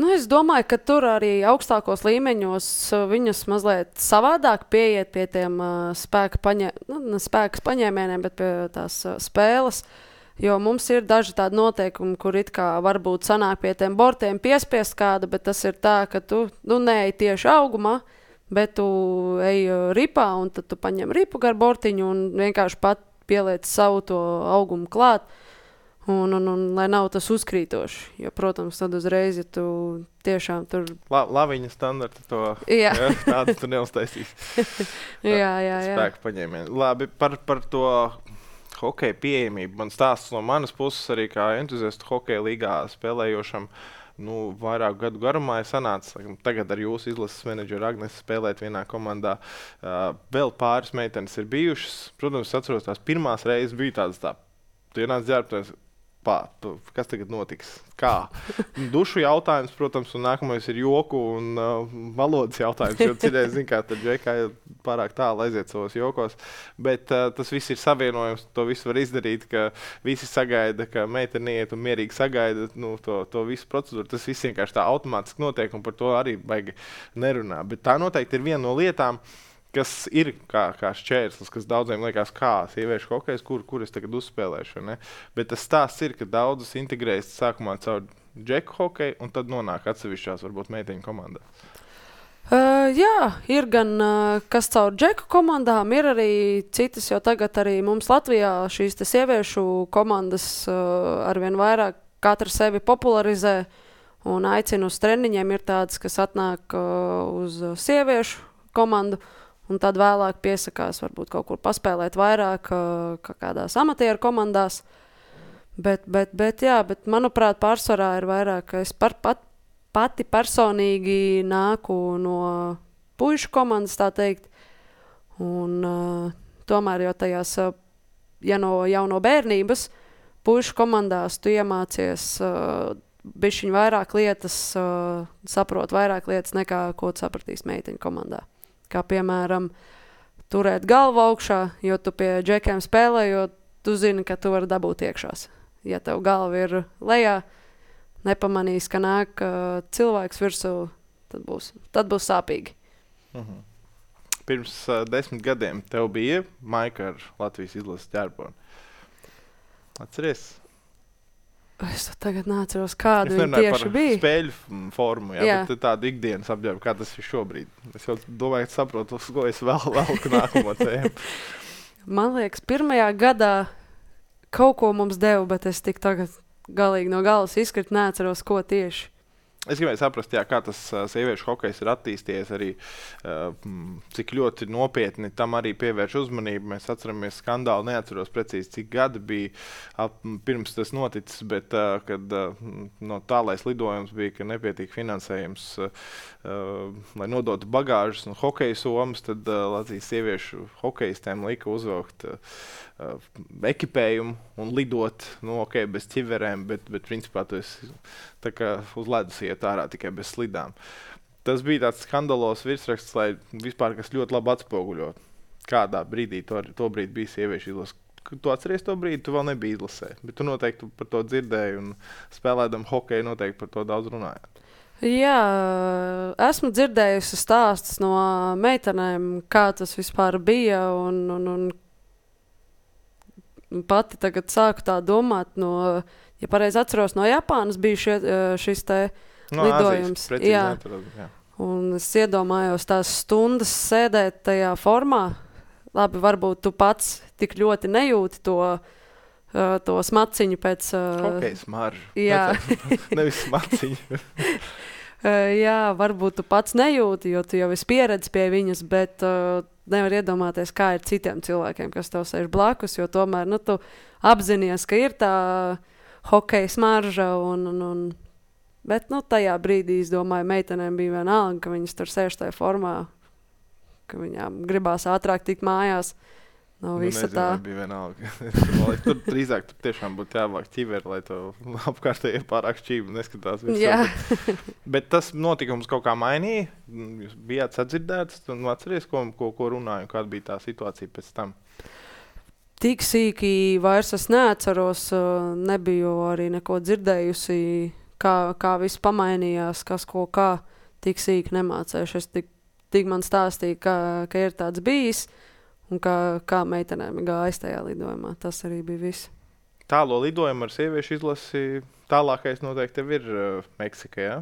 Speaker 1: Nu, es domāju, ka tur arī augstākos līmeņos viņas mazliet savādāk pieiet pie tiem uh, spēka paņē, nu, spēkas paņēmieniem, bet pie tās uh, spēles. Jo mums ir daži tādi noteikumi, kur it kā varbūt sanāk pie tiem bortiem piespiest kādu, bet tas ir tā, ka tu nu, neej tieši augumā, bet tu ej ripā un tad tu paņem ripu gar bortiņu un vienkārši pat pieliec savu to augumu klāt. Un, un, un lai nav tas uzkrītoši, jo, protams, tad uzreiz, ja tu tiešām tur...
Speaker 2: La, laviņa standarta to,
Speaker 1: jā.
Speaker 2: Ja, tādu tu neuztaisīsi.
Speaker 1: jā, jā, jā.
Speaker 2: Spēku paņēmieni. Labi, par, par to hokeja pieejamību. Man stāsts no manas puses arī kā entuziastu hokeja līgā spēlējošam, nu, vairāku gadu garumā ir sanācis, tagad ar jūsu izlases menedžeru Agnesi spēlēt vienā komandā. Uh, vēl pāris meitenes ir bijušas. Protams, es atceros, tās pirmās reizes bija tādas tā, tu ienāc ģērbties, pā, kas tagad notiks? Kā? Dušu jautājums, protams, un nākamais ir joku un uh, valodas jautājums, jo citreiz, zin kā, tad džekā pārāk tālu aiziet savos jokos, bet uh, tas viss ir savienojums, to visu var izdarīt, ka visi sagaida, ka meitene iet un mierīgi sagaida nu, to, to visu procedūru, tas viss vienkārši tā automātiski notiek un par to arī baigi nerunā, bet tā noteikti ir viena no lietām, kas ir kā, kā šķērslis, kas daudziem liekas kā sieviešu hokejs, kur, kur es tagad uzspēlēšu. Ne? Bet tas stāsts ir, ka daudzas integrējas sākumā caur džeku hokeju un tad nonāk atsevišķās, varbūt meiteņu komandā.
Speaker 1: Uh, jā, ir gan uh, kas caur džeku komandām, ir arī citas, jo tagad arī mums Latvijā šīs te sieviešu komandas uh, arvien vairāk katra sevi popularizē un aicina uz treniņiem. Ir tādas, kas atnāk uh, uz sieviešu komandu, un tad vēlāk piesakās varbūt kaut kur paspēlēt vairāk kā kādās amatieru komandās. Bet, bet, bet, jā, bet manuprāt, pārsvarā ir vairāk, ka es par, pat, pati personīgi nāku no puišu komandas, tā teikt. Un uh, tomēr jau tajās, uh, ja no jau no bērnības, puišu komandās tu iemācies uh, bišķiņ vairāk lietas, uh, saprot vairāk lietas nekā, ko tu sapratīs meiteņu komandā. Kā, piemēram, turēt galvu augšā, jo tu pie džekiem spēlē, jo tu zini, ka tu vari dabūt iekšās. Ja tev galva ir lejā, nepamanīs, ka nāk uh, cilvēks virsū, tad būs, tad būs sāpīgi.
Speaker 2: Mhm. Pirms uh, desmit gadiem tev bija maika ar Latvijas izlases ģerboni. Atceries?
Speaker 1: Es tagad neatceros, kāda viņa tieši bija.
Speaker 2: Spēļu formu, jā,
Speaker 1: jā.
Speaker 2: Bet tādu ikdienas apģērbu, kā tas ir šobrīd. Es jau domāju, ka saprotu, uz ko es vēl velku nākamo tēmu.
Speaker 1: Man liekas, pirmajā gadā kaut ko mums deva, bet es tik tagad galīgi no galas izkrit, neatceros, ko tieši.
Speaker 2: Es gribēju saprast, jā, kā tas uh, sieviešu hokejs ir attīstījies arī, uh, cik ļoti nopietni tam arī pievērš uzmanību. Mēs atceramies skandālu, neatceros precīzi, cik gadi bija ap, pirms tas noticis, bet uh, kad uh, no tālais lidojums bija, ka nepietiek finansējums, uh, lai nodotu bagāžas un hokeja somas, tad uh, Latvijas sieviešu hokejistēm lika uzvilkt uh, uh, ekipējumu un lidot, nu, ok, bez ķiverēm, bet, bet principā tu esi tā kā uz ledus iet ārā tikai bez slidām. Tas bija tāds skandalos virsraksts, lai vispār kas ļoti labi atspoguļo, kādā brīdī to, to brīdi bija sieviešu izlase. Tu atceries to brīdi, tu vēl nebija izlasē, bet tu noteikti par to dzirdēji un spēlēdam hokeju noteikti par to daudz runājāt.
Speaker 1: Jā, esmu dzirdējusi stāstus no meitenēm, kā tas vispār bija, un, un, un pati tagad sāku tā domāt no, ja pareizi atceros, no Japānas bija šie, šis te
Speaker 2: no,
Speaker 1: lidojums.
Speaker 2: Azijas, precīzi
Speaker 1: jā.
Speaker 2: Neatradu, jā.
Speaker 1: Un es iedomājos tās stundas sēdēt tajā formā. Labi, varbūt tu pats tik ļoti nejūti to, uh, to smaciņu pēc... Uh,
Speaker 2: Hokeja smaržu.
Speaker 1: Jā.
Speaker 2: Nevis smaciņu.
Speaker 1: uh, jā, varbūt tu pats nejūti, jo tu jau esi pieredzi pie viņas, bet uh, nevar iedomāties, kā ir citiem cilvēkiem, kas tev sēž blakus, jo tomēr, nu, tu apzinies, ka ir tā hokeja smarža un, un, un Bet, nu, tajā brīdī, es domāju, meitenēm bija vienalga, ka viņas tur sēž tajā formā, ka viņām gribās ātrāk tikt mājās. No
Speaker 2: nu,
Speaker 1: visa
Speaker 2: nezinu,
Speaker 1: tā.
Speaker 2: Bija vienalga. Tur drīzāk tur tiešām būtu jāvāk ķiveri, lai to apkārtēji pārāk šķību neskatās.
Speaker 1: Jā.
Speaker 2: Bet, bet tas notikums kaut kā mainīja? Jūs bijāt sadzirdēts un atceries, ko, ko, ko runāju, kāda bija tā situācija pēc tam?
Speaker 1: Tik sīki vairs es neatceros, nebiju arī neko dzirdējusi, kā, kā viss pamainījās, kas ko kā, tik sīki nemācējuši. Es tik, tik man stāstīja, ka, ka ir tāds bijis. Un kā, kā meitenēm gājas tajā lidojumā. Tas arī bija viss.
Speaker 2: Tālo lidojumu ar sieviešu izlasi tālākais noteikti tev ir uh, Meksika, jā?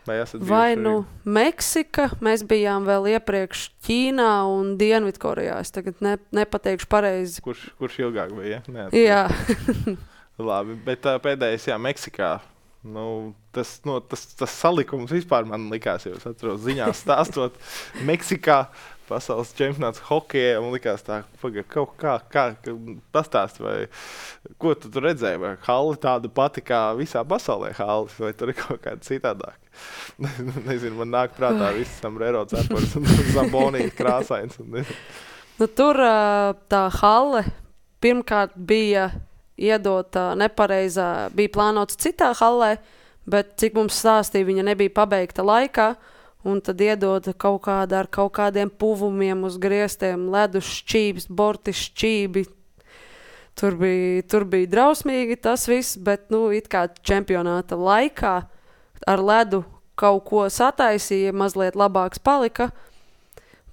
Speaker 2: Vai esat bijuši
Speaker 1: Vai
Speaker 2: arī?
Speaker 1: nu Meksika, mēs bijām vēl iepriekš Ķīnā un Dienvidkorejā. Es tagad ne, nepateikšu pareizi.
Speaker 2: Kurš, kurš ilgāk bija, ja?
Speaker 1: Jā.
Speaker 2: Labi, bet uh, pēdējais, jā, Meksikā. Nu, tas, no, tas, tas salikums vispār man likās, jau es atceros ziņās stāstot Meksikā. Pasaules čempionāts hokejā, un likās tā, paga, kaut kā, kā, kā pastāst, vai ko tu tur redzēji, vai halli tāda pati kā visā pasaulē halli, vai tur ir kaut kāda citādāk. Nezinu, man nāk prātā viss sombrero cepars un zambonīt krāsains. Un,
Speaker 1: nu, tur tā halle pirmkārt bija iedota nepareizā, bija plānots citā hallē, bet cik mums stāstīja, viņa nebija pabeigta laikā. Un tad iedod kaut kādā ar kaut kādiem puvumiem uz griestiem, ledus šķības, borti šķībi. Tur bija, tur bija drausmīgi tas viss, bet, nu, it kā čempionāta laikā ar ledu kaut ko sataisīja, mazliet labāks palika.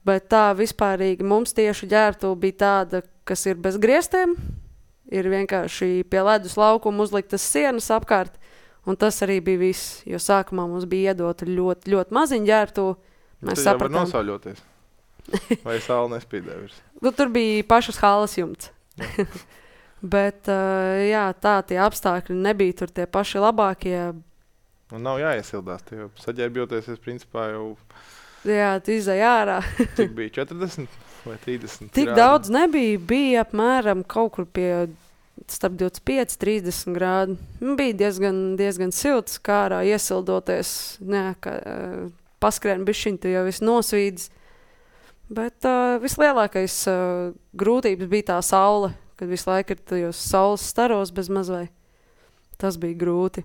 Speaker 1: Bet tā vispārīgi mums tieši ģērbtu bija tāda, kas ir bez griestiem. Ir vienkārši pie ledus laukuma uzliktas sienas apkārt. Un tas arī bija viss, jo sākumā mums bija iedota ļoti, ļoti maziņa ģērbtuve. Mēs
Speaker 2: tad jau var
Speaker 1: sapratām.
Speaker 2: nosauļoties. Vai saule nespīdē virs?
Speaker 1: Nu, tur bija pašas halas jumts. Bet, uh, jā, tā tie apstākļi nebija tur tie paši labākie.
Speaker 2: Un nav jāiesildās, tie jau saģērbjoties, es principā jau...
Speaker 1: Jā, tu izai ārā.
Speaker 2: Cik bija četrdesmit vai trīsdesmit?
Speaker 1: Tik
Speaker 2: grādi?
Speaker 1: daudz nebija, bija apmēram kaut kur pie... starp divdesmit pieci, trīsdesmit grādi. Bija diezgan, diezgan silts, kā ārā iesildoties, ne, ka, uh, paskrien bišķiņ, tu jau esi nosvīdis. Bet uh, vislielākais uh, grūtības bija tā saule, kad visu laiku ir tajos saules staros bez mazvai. Tas bija grūti.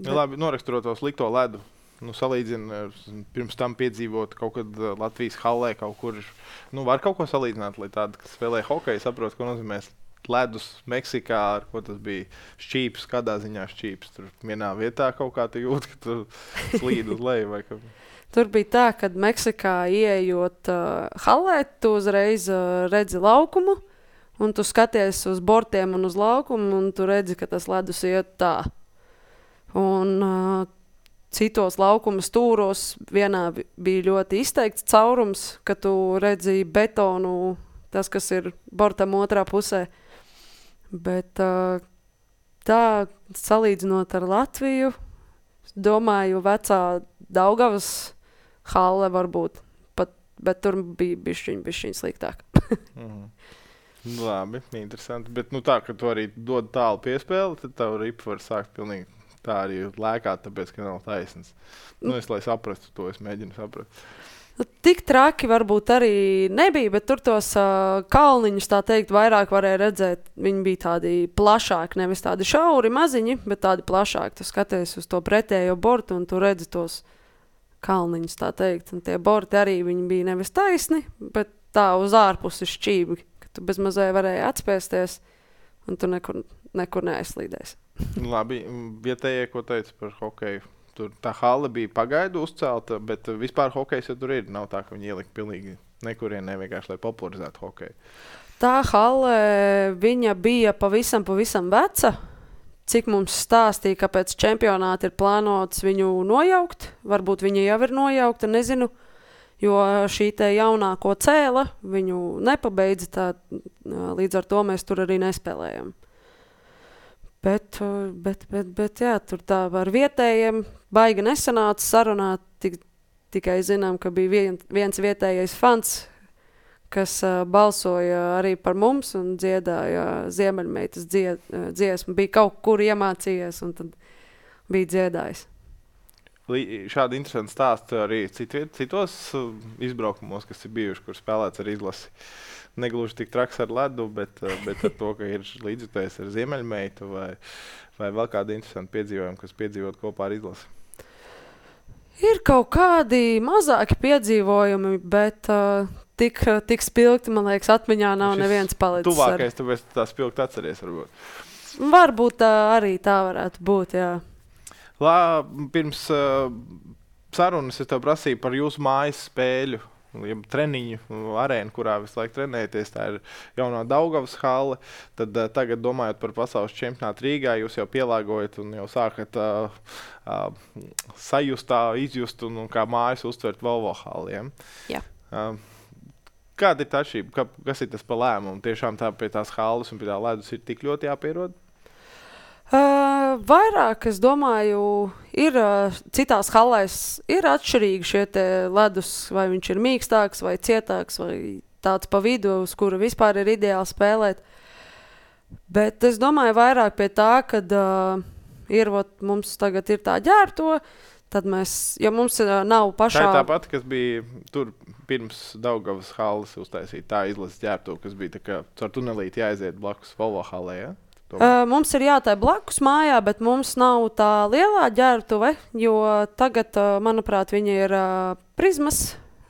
Speaker 2: Ja, labi, noraksturot to slikto ledu, nu, salīdzina, pirms tam piedzīvot kaut kad Latvijas hallē kaut kur, nu, var kaut ko salīdzināt, lai tādi, kas spēlē hokeju, saprot, ko nozīmēs ledus Meksikā, ar ko tas bija šķīps, kādā ziņā šķīps. Tur vienā vietā kaut kā tu jūt, ka tu slīd uz leju vai kā.
Speaker 1: Tur bija tā, kad Meksikā ieejot uh, hallē, tu uzreiz uh, redzi laukumu, un tu skaties uz bortiem un uz laukumu, un tu redzi, ka tas ledus iet tā. Un uh, citos laukuma stūros vienā bija ļoti izteikts caurums, ka tu redzi betonu, tas, kas ir bortam otrā pusē. Bet uh, tā, salīdzinot ar Latviju, domāju, vecā Daugavas halle varbūt, pat, bet tur bija bišķiņ, bišķiņ sliktāk.
Speaker 2: mm. Labi, interesanti. Bet nu tā, ka tu arī dod tālu piespēli, tad tavu ripu var sākt pilnīgi tā arī lēkāt, tāpēc, ka nav taisnas. Nu, es, lai saprastu to, es mēģinu saprast.
Speaker 1: Tik traki varbūt arī nebija, bet tur tos uh, kalniņus, tā teikt, vairāk varēja redzēt. Viņi bija tādi plašāki, nevis tādi šauri maziņi, bet tādi plašāki. Tu skaties uz to pretējo bortu un tu redzi tos kalniņus, tā teikt. Un tie borti arī viņi bija nevis taisni, bet tā uz ārpusi šķīvi, ka tu bez mazai varēja atspēsties un tu nekur, nekur neaizslīdēsi.
Speaker 2: Labi, vietējie, ko teica par hokeju? Tur tā halle bija pagaidu uzcelta, bet vispār hokejs jau tur ir. Nav tā, ka viņi ielika pilnīgi nekurienē vienkārši, lai popularizētu hokeju.
Speaker 1: Tā halle, viņa bija pavisam, pavisam veca. Cik mums stāstīja, ka pēc čempionāta ir plānots viņu nojaukt. Varbūt viņa jau ir nojaukta, nezinu. Jo šī te jaunāko cēla viņu nepabeidza, tā, līdz ar to mēs tur arī nespēlējam. Bet, bet, bet, bet jā, tur tā ar vietējiem baigi nesanāca sarunāt. Tik, tikai zinām, ka bija vien, viens vietējais fans, kas uh, balsoja arī par mums un dziedāja Ziemeļmeitas dzied, uh, dziesmu. Bija kaut kur iemācījies un tad bija dziedājis.
Speaker 2: šādi interesanti stāsti arī citviet, citos izbraukumos, kas ir bijuši, kur spēlēts ar izlasi. Negluži tik traks ar ledu, bet, bet ar to, ka ir līdzjutējis ar ziemeļmeitu vai, vai vēl kādi interesanti piedzīvojumi, kas piedzīvot kopā ar izlasi.
Speaker 1: Ir kaut kādi mazāki piedzīvojumi, bet uh, tik, tik spilgti, man liekas, atmiņā nav
Speaker 2: Šis
Speaker 1: neviens palicis.
Speaker 2: Tuvākais, ar... tāpēc tā spilgti atceries varbūt.
Speaker 1: Varbūt tā arī tā varētu būt, jā.
Speaker 2: Lā, pirms uh, sarunas es tev prasīju par jūsu mājas spēļu, ja treniņu arēnu, kurā visu laiku trenēties. Tā ir jaunā Daugavas halle. Tad uh, tagad, domājot par pasaules čempionātu Rīgā, jūs jau pielāgojat un jau sākat uh, uh, sajust, tā, izjust un, un kā mājas uztvert Volvo halliem.
Speaker 1: Jā.
Speaker 2: Uh, kāda ir tā atšķirība? Kas ir tas pa lēmumu? Tiešām tā pie tās halles un pie tā ledus ir tik ļoti jāpierod?
Speaker 1: Uh, vairāk, es domāju, ir uh, citās hallēs ir atšķirīgi šie te ledus, vai viņš ir mīkstāks vai cietāks, vai tāds pa vidu, uz kuru vispār ir ideāli spēlēt. Bet es domāju vairāk pie tā, kad uh, ir, ot, mums tagad ir tā ģērbto, tad mēs, ja mums uh, nav pašā...
Speaker 2: Tā ir tā pati, kas bija tur pirms Daugavas halles uztaisīt, tā izlases ģērbto, kas bija tā kā caur tunelīti jāaiziet blakus Volvo hallē, ja?
Speaker 1: Uh, mums ir jātai blakus mājā, bet mums nav tā lielā ģērbtuve, jo tagad, uh, manuprāt, viņa ir uh, Prizmas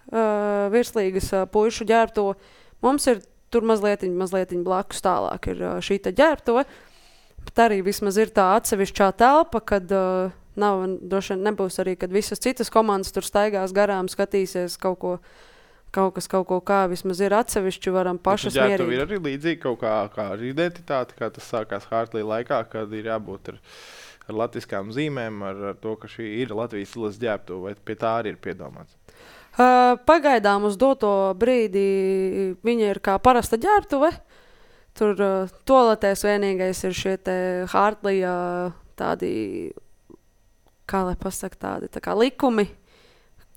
Speaker 1: uh, virslīgas uh, puišu ģērbtuve. Mums ir tur mazlietiņ, mazlietiņ blakus tālāk ir uh, šī te ģērbtuve, bet arī vismaz ir tā atsevišķā telpa, kad uh, nav, droši vien nebūs arī, kad visas citas komandas tur staigās garām, skatīsies kaut ko. Kaut kas kaut ko kā vismaz ir atsevišķi, varam pašas mierīgi.
Speaker 2: Tur ir arī līdzīgi kaut kā, kā ar identitāti, kā tas sākās Hartlī laikā, kad ir jābūt ar, ar latviskām zīmēm, ar, ar to, ka šī ir Latvijas izlases ģērbtuve, vai pie tā arī ir piedomāts?
Speaker 1: Uh, pagaidām uz doto brīdi viņa ir kā parasta ģērbtuve. Tur uh, toaletēs vienīgais ir šie te Hartlī uh, tādi, kā lai pasaka, tādi tā kā likumi.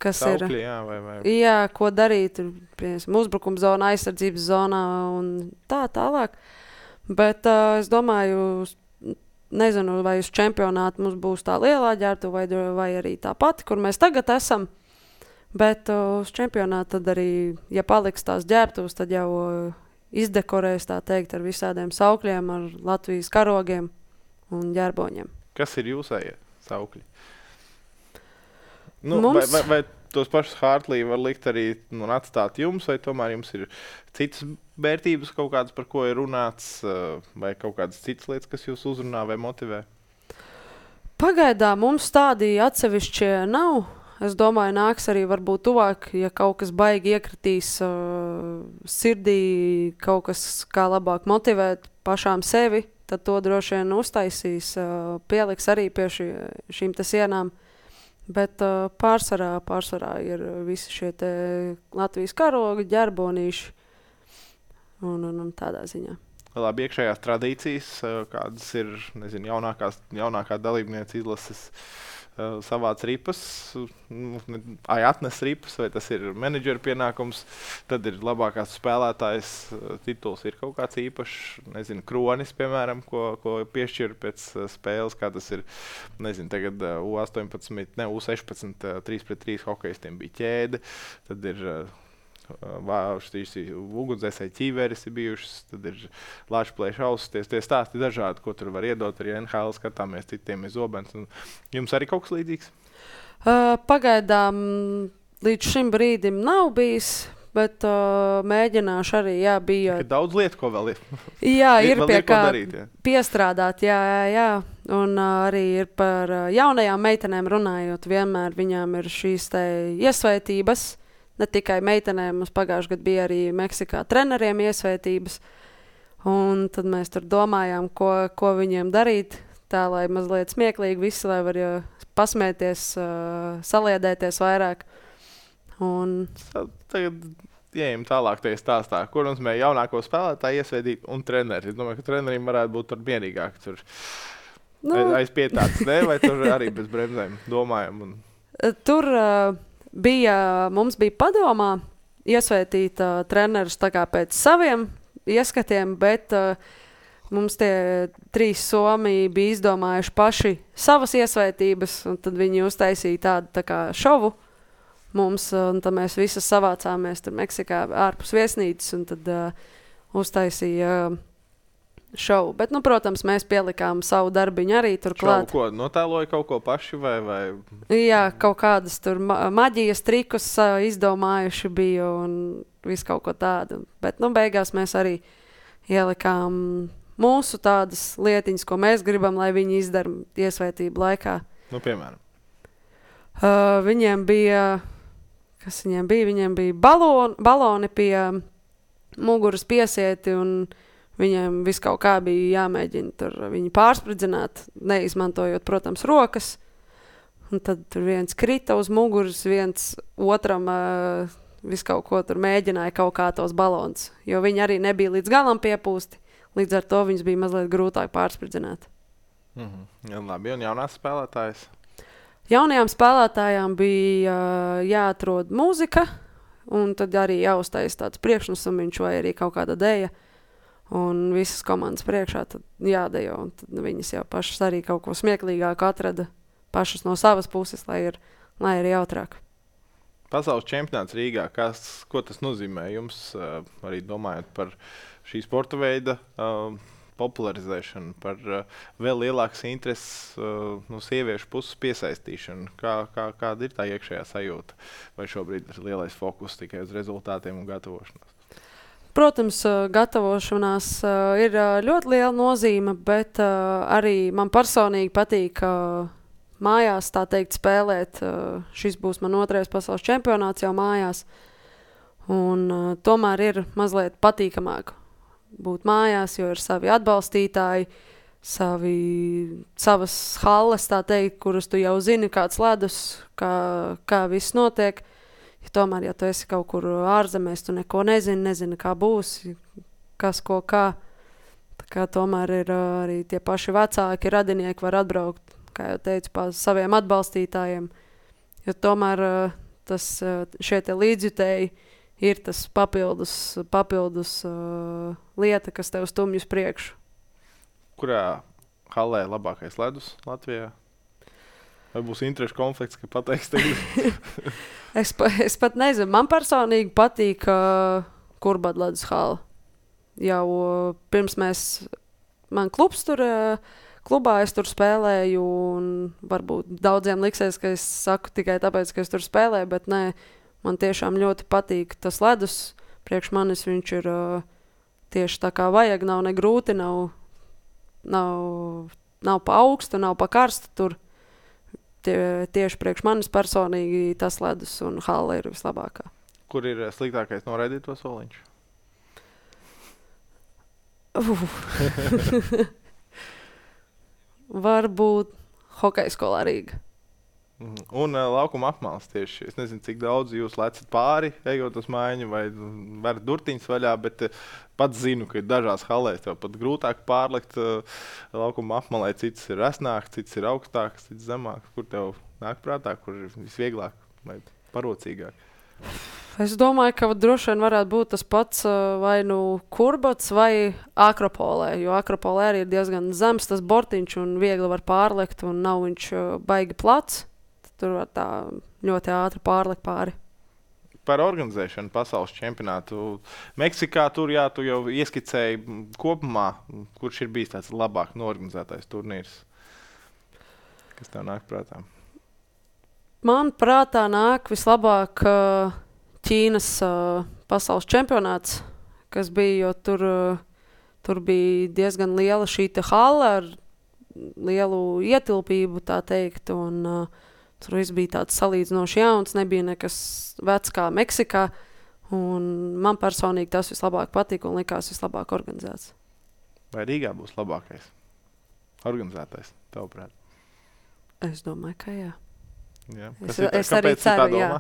Speaker 1: Kas
Speaker 2: Saukļi,
Speaker 1: ir,
Speaker 2: jā, vai, vai.
Speaker 1: jā, ko darīt, piemēram, uzbrukuma zonā, aizsardzības zonā un tā tālāk. Bet uh, es domāju, nezinu, vai uz čempionātu mums būs tā lielā ģērbtuve vai, vai arī tā pati, kur mēs tagad esam. Bet uh, uz čempionātu tad arī, ja paliks tās ģērbtuves, tad jau uh, izdekorēs, tā teikt, ar visādiem saukļiem, ar Latvijas karogiem un ģērboņiem.
Speaker 2: Kas ir jūsējie saukļi? Nu,
Speaker 1: Mums...
Speaker 2: vai, vai, vai tos pašus Hartlī var likt arī nu, atstāt jums, vai tomēr jums ir citas vērtības kaut kādas, par ko ir runāts, vai kaut kādas citas lietas, kas jūs uzrunā vai motivē?
Speaker 1: Pagaidām mums tādi atsevišķie nav. Es domāju, nāks arī varbūt tuvāk, ja kaut kas baigi iekritīs uh, sirdī, kaut kas kā labāk motivēt pašām sevi, tad to droši vien uztaisīs, uh, pieliks arī pie ši, šīm te sienām. Bet uh, pārsvarā, pārsvarā ir visi šie te Latvijas karogi, ģerbonīši un, un, un tādā ziņā.
Speaker 2: Labi, iekšējās tradīcijas, kādas ir, nezinu, jaunākās, jaunākā dalībniece izlases uh, savāc ripas, ai atnes ripas, vai tas ir menedžera pienākums, tad ir labākās spēlētājs tituls, ir kaut kāds īpašs, nezinu, kronis, piemēram, ko, ko piešķir pēc spēles, kā tas ir, nezinu, tagad U astoņpadsmit, ne, U sešpadsmit, trīs pret trīs hokejistiem bija ķēde, tad ir šīs ugunsdzēsēji ķīveres ir bijušas, tad ir lāčplēša ausis, tie stāsti dažādi, ko tur var iedot, arī N H L skatāmies, citiem ir zobens. Un jums arī kaut kas līdzīgs?
Speaker 1: Uh, pagaidām līdz šim brīdim nav bijis, bet uh, mēģināšu arī, jā, bija...
Speaker 2: Ir daudz lietu, ko vēl ir.
Speaker 1: Jā, ir pie kā
Speaker 2: darīt, jā.
Speaker 1: Piestrādāt, jā, jā, jā. Un uh, arī ir par uh, jaunajām meitenēm runājot, vienmēr viņām ir šīs te iesvētības. Ne tikai meitenēm, mums pagājuši gadu bija arī Meksikā treneriem iesvētības. Un tad mēs tur domājām, ko, ko viņiem darīt, tā lai mazliet smieklīgi visi, lai var jau pasmēties, uh, saliedēties vairāk. Un...
Speaker 2: Tagad ejam tālāk tajā stāstā, kur mums mēs jaunāko spēlētāju iesvētīt un treneri. Es domāju, ka treneriem varētu būt tur mierīgāk. Tur nu... aiz pietāts, ne? Vai tur arī bez bremzēm domājam? Un...
Speaker 1: Tur... Uh... Bija, mums bija padomā iesvētīt uh, trenerus tā kā pēc saviem ieskatiem, bet uh, mums tie trīs Somiji bija izdomājuši paši savas iesvētības, un tad viņi uztaisīja tādu tā kā šovu mums, un tad mēs visas savācāmies tur Meksikā ārpus viesnīcas, un tad uh, uztaisīja uh, šovu. Bet, nu, protams, mēs pielikām savu darbiņu arī tur klāt.
Speaker 2: Šovu ko? Notēloja kaut ko paši vai? vai...
Speaker 1: Jā, kaut kādas tur ma maģijas trikus uh, izdomājuši bija un visu kaut ko tādu. Bet, nu, beigās mēs arī ielikām mūsu tādas lietiņas, ko mēs gribam, lai viņi izdara iesvētību laikā.
Speaker 2: Nu, piemēram?
Speaker 1: Uh, viņiem bija, kas viņiem bija? Viņiem bija baloni, baloni pie muguras piesieti, un viņiem viss kaut kā bija jāmēģina tur viņi pārspridzināt, neizmantojot, protams, rokas. Un tad tur viens krita uz muguras, viens otram uh, visu kaut ko tur mēģināja kaut kā tos balons, jo viņi arī nebija līdz galam piepūsti. Līdz ar to viņus bija mazliet grūtāk pārspridzināt.
Speaker 2: Mm-hmm. Jā, labi, un jaunās spēlētājas?
Speaker 1: Jaunajām spēlētājām bija uh, jāatrod mūzika, un tad arī jāuztais tāds priekšnesumiņš vai arī kaut kāda deja. Un visas komandas priekšā tad jādejo, un tad viņas jau pašas arī kaut ko smieklīgāku atrada pašas no savas puses, lai ir, lai ir jautrāk.
Speaker 2: Pasaules čempionāts Rīgā, kas, ko tas nozīmē jums, uh, arī domājot par šī sporta veida uh, popularizēšanu, par uh, vēl lielākas intereses uh, no sieviešu puses piesaistīšanu? Kā, kā, kāda ir tā iekšējā sajūta? Vai šobrīd ir lielais fokus tikai uz rezultātiem un gatavošanos?
Speaker 1: Protams, gatavošanās uh, ir uh, ļoti liela nozīme, bet uh, arī man personīgi patīk uh, mājās, tā teikt, spēlēt. Uh, šis būs man otrais pasaules čempionāts jau mājās. Un uh, tomēr ir mazliet patīkamāk būt mājās, jo ir savi atbalstītāji, savi, savas halles, tā teikt, kuras tu jau zini, kāds ledus, kā, kā viss notiek. Ja tomēr, ja tu esi kaut kur ārzemēs, tu neko nezini, nezini, kā būs, kas ko kā. Tā kā tomēr ir uh, arī tie paši vecāki radinieki var atbraukt, kā jau teicu, pa saviem atbalstītājiem. Jo tomēr uh, tas, uh, šie te līdzjutēji ir tas papildus, papildus uh, lieta, kas tev stumj uz priekšu.
Speaker 2: Kurā hallē labākais ledus Latvijā? Vai būs interešu konflikts, ka pateiks tagad?
Speaker 1: es, pa, es pat nezinu. Man personīgi patīk uh, Kurbad ledus hala. Jau uh, pirms mēs, man klubs tur, uh, klubā es tur spēlēju, un varbūt daudziem liksies, ka es saku tikai tāpēc, ka es tur spēlēju, bet nē, man tiešām ļoti patīk tas ledus. Priekš manis viņš ir uh, tieši tā kā vajag, nav ne grūti, nav, nav, nav pa augstu, nav pa karstu tur. Tie, tieši priekš manis personīgi tas ledus un hala ir vislabākā.
Speaker 2: Kur ir sliktākais noraidīt to soliņš?
Speaker 1: Uh. Varbūt hokeja skolā Rīga.
Speaker 2: Un uh, laukuma apmales tieši. Es nezinu, cik daudz jūs lecat pāri, ejot uz mājiņu, vai varat durtiņas vaļā, bet uh, pats zinu, ka ir dažās halēs tev pat grūtāk pārlikt uh, laukuma apmalē. Cits ir resnāks, cits ir augstāks, cits zemāks. Kur tev nāk prātā, kur ir visvieglāk vai parocīgāk?
Speaker 1: Es domāju, ka droši vien varētu būt tas pats uh, vai nu Kurbats vai Akropolē, jo Akropolē arī ir diezgan zems tas bortiņš un viegli var pārlikt un nav viņš uh, baigi plats. Tur var tā ļoti ātri pārlikt pāri.
Speaker 2: Par organizēšanu pasaules čempionātu. Meksikā tur, jā, tu jau ieskicēji kopumā, kurš ir bijis tāds labāk norganizētais turnīrs. Kas tev nāk prātā?
Speaker 1: Man prātā nāk vislabāk uh, Ķīnas uh, pasaules čempionāts, kas bija, jo tur, uh, tur bija diezgan liela šī te hala ar lielu ietilpību, tā teikt, un uh, tur viss bija tāds salīdzinoši jauns, nebija nekas vecs kā Meksikā, un man personīgi tas vislabāk patika un likās vislabāk organizēts.
Speaker 2: Vai Rīgā būs labākais organizētais, tavuprāt?
Speaker 1: Es domāju, ka jā.
Speaker 2: jā.
Speaker 1: Es,
Speaker 2: ir,
Speaker 1: es arī ceru, jā.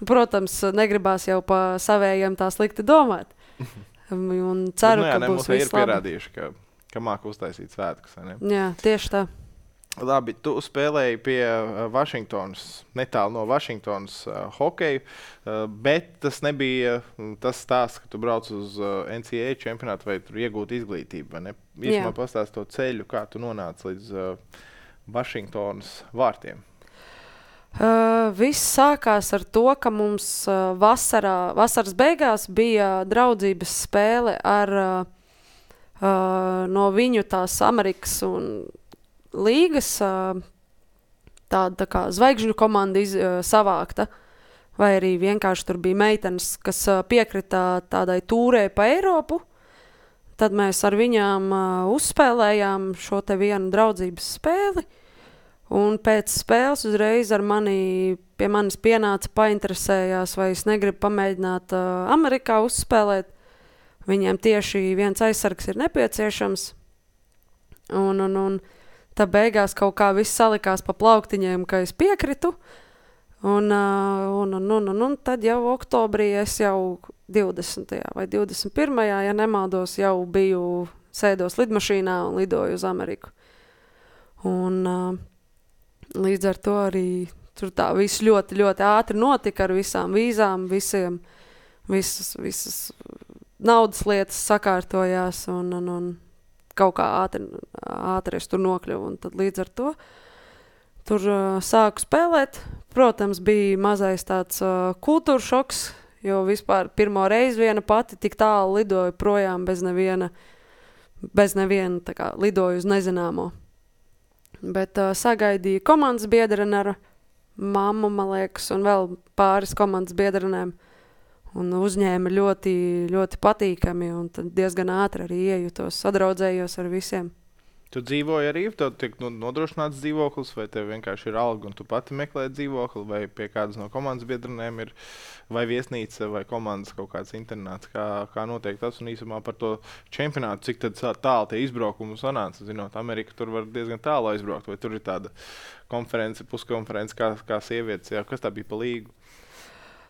Speaker 1: Protams, negribās jau pa savējiem tā slikti domāt. Un ceru,
Speaker 2: Bet, nu, jā,
Speaker 1: ka
Speaker 2: ne,
Speaker 1: būs
Speaker 2: viss labi.
Speaker 1: Ir
Speaker 2: pierādījuši, ka, ka māk uztaisīt svētkus.
Speaker 1: Jā, tieši tā.
Speaker 2: Labi, tu spēlēji pie uh, Vašingtonas, netālu no Vašingtonas uh, hokeju, uh, bet tas nebija uh, tas stāsts, ka tu brauc uz uh, N C A A čempionātu vai tur iegūt izglītību. Vai ne? Īsumā pastāst to ceļu, kā tu nonāci līdz uh, Vašingtonas vārtiem.
Speaker 1: Uh, viss sākās ar to, ka mums uh, vasarā, vasaras beigās bija draudzības spēle ar uh, uh, no viņu tās Amerikas un līgas uh, tāda tā kā zvaigžņu komanda iz, uh, savākta, vai arī vienkārši tur bija meitenes, kas uh, piekrita tādai tūrē pa Eiropu. Tad mēs ar viņām uh, uzspēlējām šo te vienu draudzības spēli. Un pēc spēles uzreiz ar mani, pie manis pienāca painteresējās, vai es negribu pamēģināt uh, Amerikā uzspēlēt. Viņiem tieši viens aizsargs ir nepieciešams. Un, un, un tā beigās kaut kā viss salikās pa plauktiņiem, ka es piekritu. Un, uh, un, un, un, un, un tad jau oktobrī es jau divdesmitajā vai divdesmit pirmajā, ja nemaldos, jau biju sēdos lidmašīnā un lidoju uz Ameriku. Un uh, līdz ar to arī tur tā viss ļoti, ļoti ātri notika ar visām vīzām, visiem, visas, visas naudas lietas sakārtojās un, un, un kaut kā ātri, ātri es tur nokļuvu. Un tad līdz ar to tur uh, sāku spēlēt. Protams, bija mazais tāds uh, kultūra šoks, jo vispār pirmo reizi viena pati tik tālu lidoju projām bez neviena, bez neviena tā kā lidoju uz nezināmo. Bet uh, sagaidīja komandas biedreni ar mammu, man liekas, un vēl pāris komandas biedrenēm. Un uzņēma ļoti, ļoti patīkami, un tad diezgan ātri arī iejutos, sadraudzējos ar visiem.
Speaker 2: Tu dzīvoji arī, tev tiek nodrošināts dzīvoklis, vai tev vienkārši ir alga, un tu pati meklē dzīvokli, vai pie kādas no komandas biedrenēm ir vai viesnīca, vai komandas kaut kāds internāts, kā, kā notiek tas, un īsumā par to čempionātu, cik tad tālu tie izbraukumi sanāca. Zinot, Amerika tur var diezgan tālu aizbraukt, vai tur ir tāda konference, puskonference, kā, kā sievietes, jā, kas tā bija pa līgu?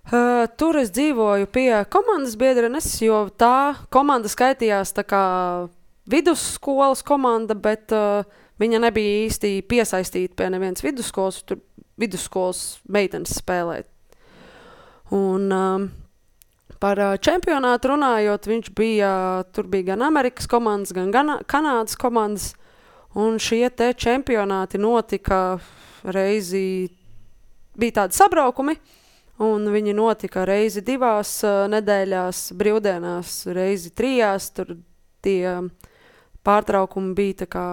Speaker 1: Uh, tur es dzīvoju pie komandas biedrenes, jo tā komanda skaitījās tā kā vidusskolas komanda, bet uh, viņa nebija īsti piesaistīta pie nevienas vidusskolas, tur vidusskolas meitenes spēlēt. Un um, par uh, čempionātu runājot, viņš bija, tur bija gan Amerikas komandas, gan Gana, Kanādas komandas, un šie te čempionāti notika reizi, bija tādi sabraukumi, un viņi notika reizi divās uh, nedēļās, brīvdienās, reizi trijās. Tur tie pārtraukumi bija tā kā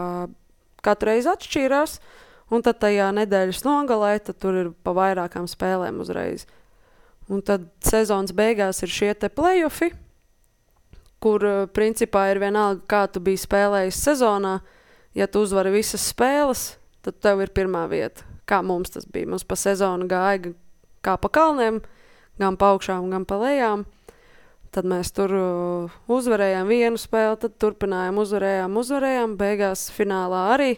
Speaker 1: katru reizi atšķīrās, un tad tajā nedēļas nogalē, tad tur ir pa vairākām spēlēm uzreiz. Un tad sezonas beigās ir šie te play-offi, kur uh, principā ir vienalga, kā tu biji spēlējis sezonā. Ja tu uzvari visas spēles, tad tev ir pirmā vieta. Kā mums tas bija. Mums pa sezonu gāja kā pa kalniem, gan pa augšām, gan pa lejām. Tad mēs tur uh, uzvarējām vienu spēli, tad turpinājām, uzvarējām, uzvarējām. Beigās finālā arī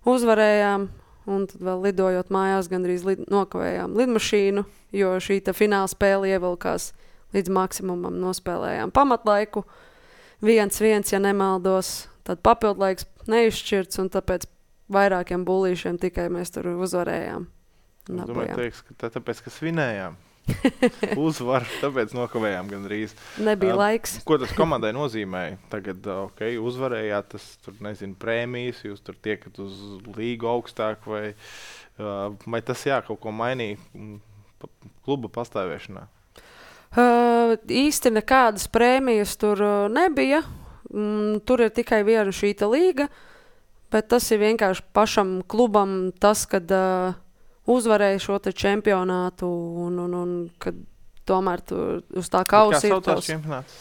Speaker 1: uzvarējām, un tad vēl lidojot mājās gandrīz lid, nokavējām lidmašīnu, jo šī ta fināla spēle ievilkās līdz maksimumam, nospēlējām pamatlaiku. Viens, viens, ja nemaldos, tad papildlaiks neizšķirts, un tāpēc vairākiem bullīšiem tikai mēs tur uzvarējām.
Speaker 2: Es domāju, teiks, ka tā, tāpēc, ka svinējām. Uzvar, tāpēc nokavējām gandrīz.
Speaker 1: Nebija
Speaker 2: uh,
Speaker 1: laiks.
Speaker 2: Ko tas komandai nozīmēja? Tagad, ok, uzvarējāt, tas tur, nezinu, prēmijas, jūs tur tiekat uz līgu augstāk, vai, uh, vai tas, jā, kaut ko mainīja kluba pastāvēšanā?
Speaker 1: Uh, īsti nekādas prēmijas tur uh, nebija. Mm, tur ir tikai viena šīta līga, bet tas ir vienkārši pašam klubam tas, kad uh, uzvarēja šo te čempionātu un, un, un kad tomēr tu uz tā kausa ir tos.
Speaker 2: Kā saucās čempionāts?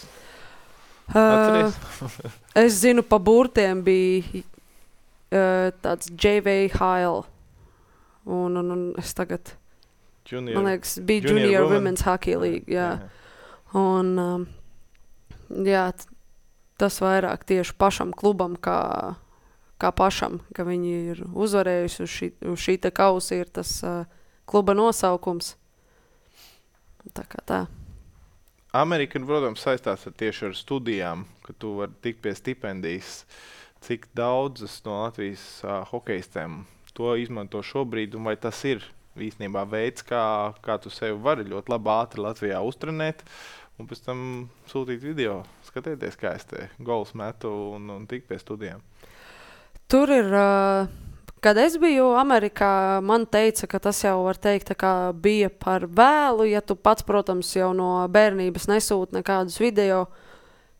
Speaker 1: Uh, es zinu, pa burtiem bija uh, tāds J V Hile. Un, un, un es tagad,
Speaker 2: Junior,
Speaker 1: man liekas, bija
Speaker 2: Junior,
Speaker 1: Junior
Speaker 2: Women.
Speaker 1: Women's Hockey League, jā. jā. Un, um, jā, t- tas vairāk tieši pašam klubam, kā kā pašam, ka viņi ir uzvarējuši uz šī, uz šī te kausa ir tas uh, kluba nosaukums. Tā kā tā.
Speaker 2: Amerika, protams, saistās ar tieši ar studijām, ka tu vari tikt pie stipendijas. Cik daudzas no Latvijas uh, hokejistēm to izmanto šobrīd, un vai tas ir īstenībā veids, kā, kā tu sevi vari ļoti labi ātri Latvijā uztrenēt, un pēc tam sūtīt video, skatieties, kā es te gols metu un, un tik pie studijām.
Speaker 1: Tur ir, kad es biju Amerikā, man teica, ka tas jau var teikt, tā kā bija par vēlu, ja tu pats, protams, jau no bērnības nesūti nekādus video,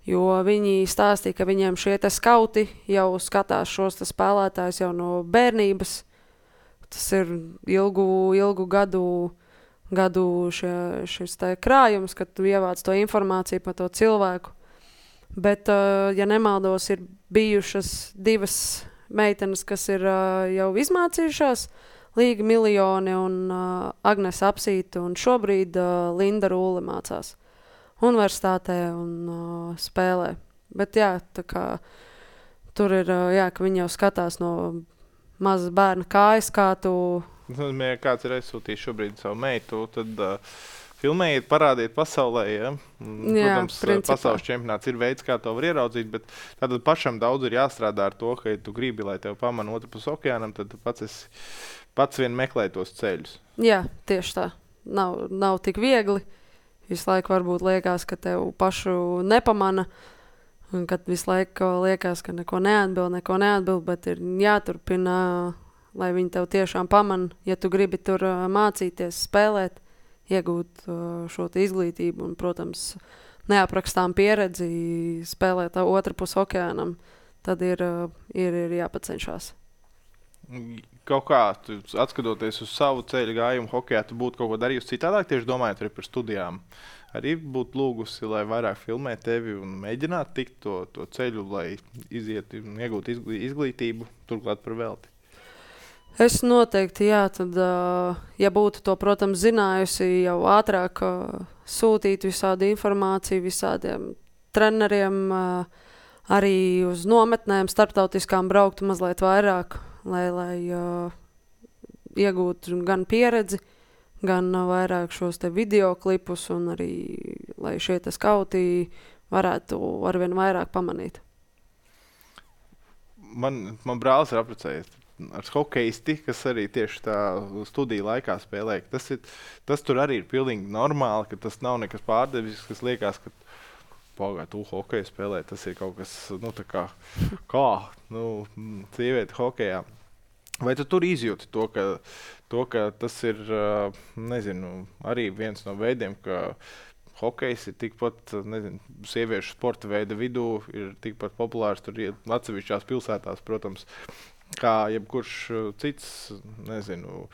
Speaker 1: jo viņi stāstīja, ka viņiem šie te skauti jau skatās šos te spēlētājus jau no bērnības. Tas ir ilgu, ilgu gadu, gadu šie, šis te krājums, kad tu ievāc to informāciju par to cilvēku. Bet, ja nemaldos, ir bijušas divas meitenes, kas ir jau izmācījušās, Līga Miljoni un Agnes Apsīta, un šobrīd Linda Rūle mācās universitātē un spēlē. Bet jā, tā kā tur ir, jā, ka viņi jau skatās no mazas bērna kājas, kā tu...
Speaker 2: Ja kāds ir aizsūtījis šobrīd savu meitu, tad uh, filmējiet, parādiet pasaulē, ja?
Speaker 1: Jā,
Speaker 2: Protams,
Speaker 1: principā.
Speaker 2: pasaules čempionāts ir veids, kā to var ieraudzīt, bet tātad pašam daudz ir jāstrādā ar to, ka, ja tu gribi, lai tev pamana otru pus okeānam, tad tu pats, esi, pats vien meklē tos ceļus.
Speaker 1: Jā, tieši tā. Nav, nav tik viegli. Visu laiku varbūt liekas, ka tev pašu nepamana, un kad visu laiku liekas, ka neko neatbild, neko neatbild, bet ir jāturpina, lai viņi tev tiešām pamana, ja tu gribi tur mācīties, spēlēt, iegūt šo izglītību un, protams, neaprakstām pieredzi, spēlēt otru pus okeānam, tad ir, ir, ir jāpacenšās.
Speaker 2: Kaut kā, tu, atskatoties uz savu ceļu gājumu hokejā, tu būtu kaut ko darījusi citādāk, tieši domājot arī par studijām. Arī būtu lūgusi, lai vairāk filmē tevi un mēģināt tikt to, to ceļu, lai iziet un iegūt izglītību, turklāt par velti.
Speaker 1: Es noteikti, jā, tad, ja būtu to, protams, zinājusi, jau ātrāk sūtīt visādi informāciju visādiem treneriem, arī uz nometnēm starptautiskām brauktu mazliet vairāk, lai, lai iegūtu gan pieredzi, gan vairāk šos te videoklipus un arī, lai šie te skauti varētu arvien vairāk pamanīt.
Speaker 2: Man, man brālis ir apprecējies ar hokeisti, kas arī tieši tā studiju laikā spēlē. Tas, ir, tas tur arī ir pilnīgi normāli, ka tas nav nekas pārdevis, kas liekas, ka pagāj, tu hokeju spēlē, tas ir kaut kas, nu tā kā, kā, nu, sievieti hokejā. Vai tu tur izjūti to, ka, to, ka tas ir, nezinu, arī viens no veidiem, ka hokejs ir tikpat, nezinu, sieviešu sporta veida vidū, ir tikpat populārs tur atsevišķās pilsētās, protams, kā jebkurš cits, nezinu,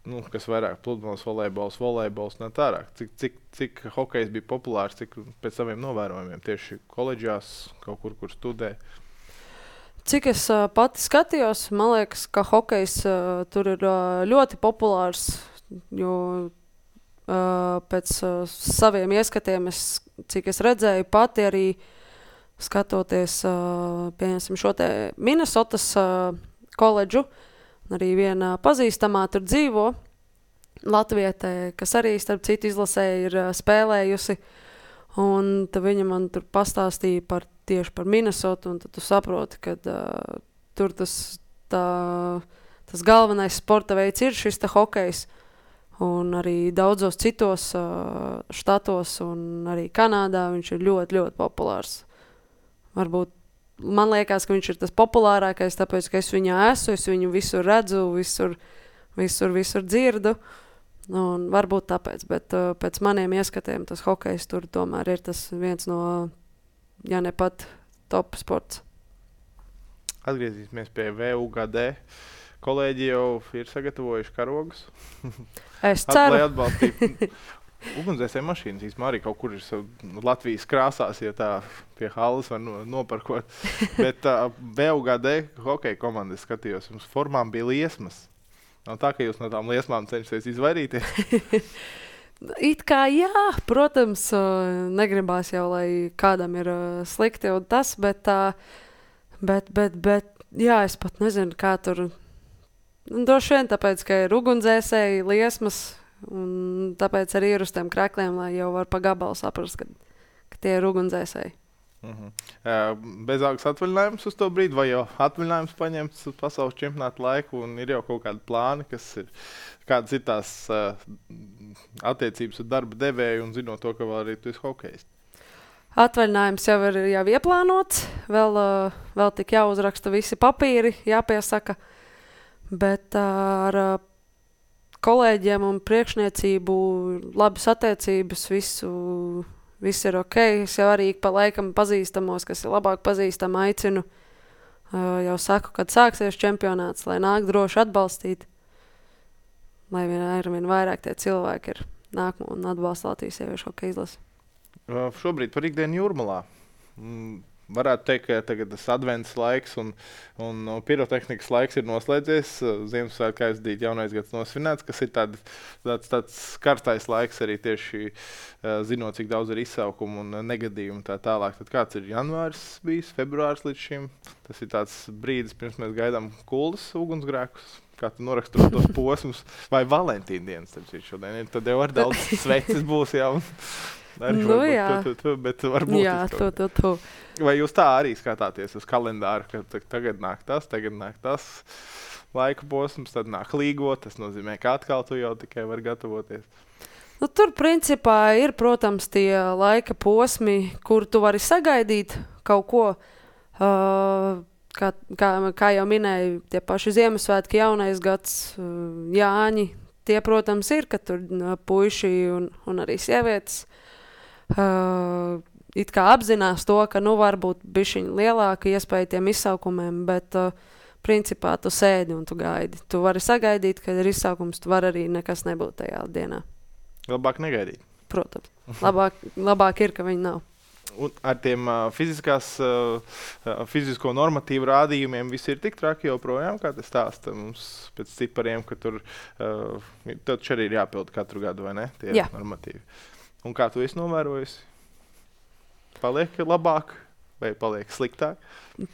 Speaker 2: nu, kas vairāk pludmales, volejbols, volejbols, ne tārāk. Cik, cik, cik hokejs bija populārs, cik pēc saviem novērojumiem tieši koledžās, kaut kur, kur studē.
Speaker 1: Cik es uh, pati skatījos, man liekas, ka hokejs uh, tur ir uh, ļoti populārs, jo uh, pēc uh, saviem ieskatiem, es, cik es redzēju pati arī skatoties, uh, pieņemsim šo te Minnesotas uh, koledžu, arī viena pazīstamā tur dzīvo, latvietē, kas arī starp citu izlasēja ir uh, spēlējusi, un tad viņa man tur pastāstīja par tieši par Minnesotu, un tad tu saproti, ka uh, tur tas, tā, tas galvenais sporta veids ir šis te hokejs, un arī daudzos citos uh, štatos, un arī Kanādā viņš ir ļoti, ļoti populārs. Varbūt man liekas, ka viņš ir tas populārākais, tāpēc, ka es viņā esmu, es viņu visur redzu, visur, visur, visur dzirdu, un varbūt tāpēc, bet uh, pēc maniem ieskatiem tas hokejs tur tomēr ir tas viens no, ja ne pat top sports.
Speaker 2: Atgriezīsimies pie V U G D. Kolēģi jau ir sagatavojuši karogus.
Speaker 1: Es ceru.
Speaker 2: Lai atbalstītu ugunsdzēsēju mašīnas. Īsmā arī kaut kur ir Latvijas krāsās, ja tā pie halas var no, noparkot. Bet uh, V U G D hokeja komandas skatījos, jums formām bija liesmas. Nav tā, ka jūs no tām liesmām cenšaties izvairīties?
Speaker 1: It kā jā, protams, negribās jau, lai kādam ir slikti un tas, bet, bet, bet, bet jā, es pat nezinu, kā tur, droši vien tāpēc, ka ir ugunsdzēsēji, liesmas, un tāpēc arī ir uz tiem krekļiem, lai jau var pa gabalu saprast, ka, ka tie ir ugunsdzēsēji.
Speaker 2: Mhm. Uh, bezalgas atvaļinājums uz to brīdi, vai jau atvaļinājums paņemts uz pasaules čempionāta laiku, un ir jau kaut kādi plāni, kas ir, kādas ir tās uh, attiecības ar darba devēju, un zinot to, ka vēl arī tu esi hokejs.
Speaker 1: Atvaļinājums jau ir jau ieplānots, vēl, uh, vēl tik jāuzraksta visi papīri, jāpiesaka, bet uh, ar uh, kolēģiem un priekšniecību labas attiecības visu. Viss ir ok, es jau arī pa laikam pazīstamos, kas ir labāk pazīstami, aicinu. Uh, jau saku, kad sāksies čempionāts, lai nāk droši atbalstīt. Lai vien ar vien vairāk tie cilvēki ir nāk un atbalsta Latvijas sieviešu hokeja izlasi.
Speaker 2: Uh, šobrīd par ikdienu Jūrmalā. Mm, varētu teikt, ka tagad tas advents laiks un, un pirotehnikas laiks ir noslēdzies. Ziemassvētku aizdīt jaunais gads nosvinēts, kas ir tād, tāds, tāds karstais laiks arī tieši uh, zinot, cik daudz ir izsaukumu un negadījumu tā tālāk. Tad kāds ir janvārs bijis, februārs līdz šim? Tas ir tāds brīdis, pirms mēs gaidām kuldas ugunsgrēkus. Kā tu noraksturot tos posmus, vai Valentīna dienas, tad šodien ir, tad jau ar daudz sveces būs jau. Arī,
Speaker 1: nu
Speaker 2: varbūt,
Speaker 1: jā.
Speaker 2: Tu, tu, tu, bet varbūt
Speaker 1: jā, tu, tu, tu.
Speaker 2: Vai jūs tā arī skatāties uz kalendāru, ka tagad nāk tas, tagad nāk tas laika posms, tad nāk līgo, tas nozīmē, ka atkal tu jau tikai vari gatavoties?
Speaker 1: Nu, tur principā ir, protams, tie laika posmi, kur tu vari sagaidīt kaut ko, uh, kā, kā, kā jau minēju, tie paši Ziemassvētki, jaunais gads, uh, Jāņi, tie, protams, ir, ka tur uh, puiši un, un arī sievietes Uh, it kā apzinās to, ka nu varbūt bišķiņ lielāka iespēja tiem izsaukumiem, bet uh, principā tu sēdi un tu gaidi. Tu vari sagaidīt, kad ir izsaukums, tu vari arī nekas nebūt tajā dienā.
Speaker 2: Labāk negaidīt.
Speaker 1: Protams. Labāk, labāk ir, ka viņi nav.
Speaker 2: Un ar tiem uh, fiziskās, uh, fizisko normatīvu rādījumiem viss ir tik traki joprojām, kā tas stāsta mums pēc cipariem, ka tur uh, taču arī ir jāpild katru gadu, vai ne? Tie
Speaker 1: Jā.
Speaker 2: normatīvi. Un kā tu esi novērojusi? Paliek labāk vai paliek sliktāk?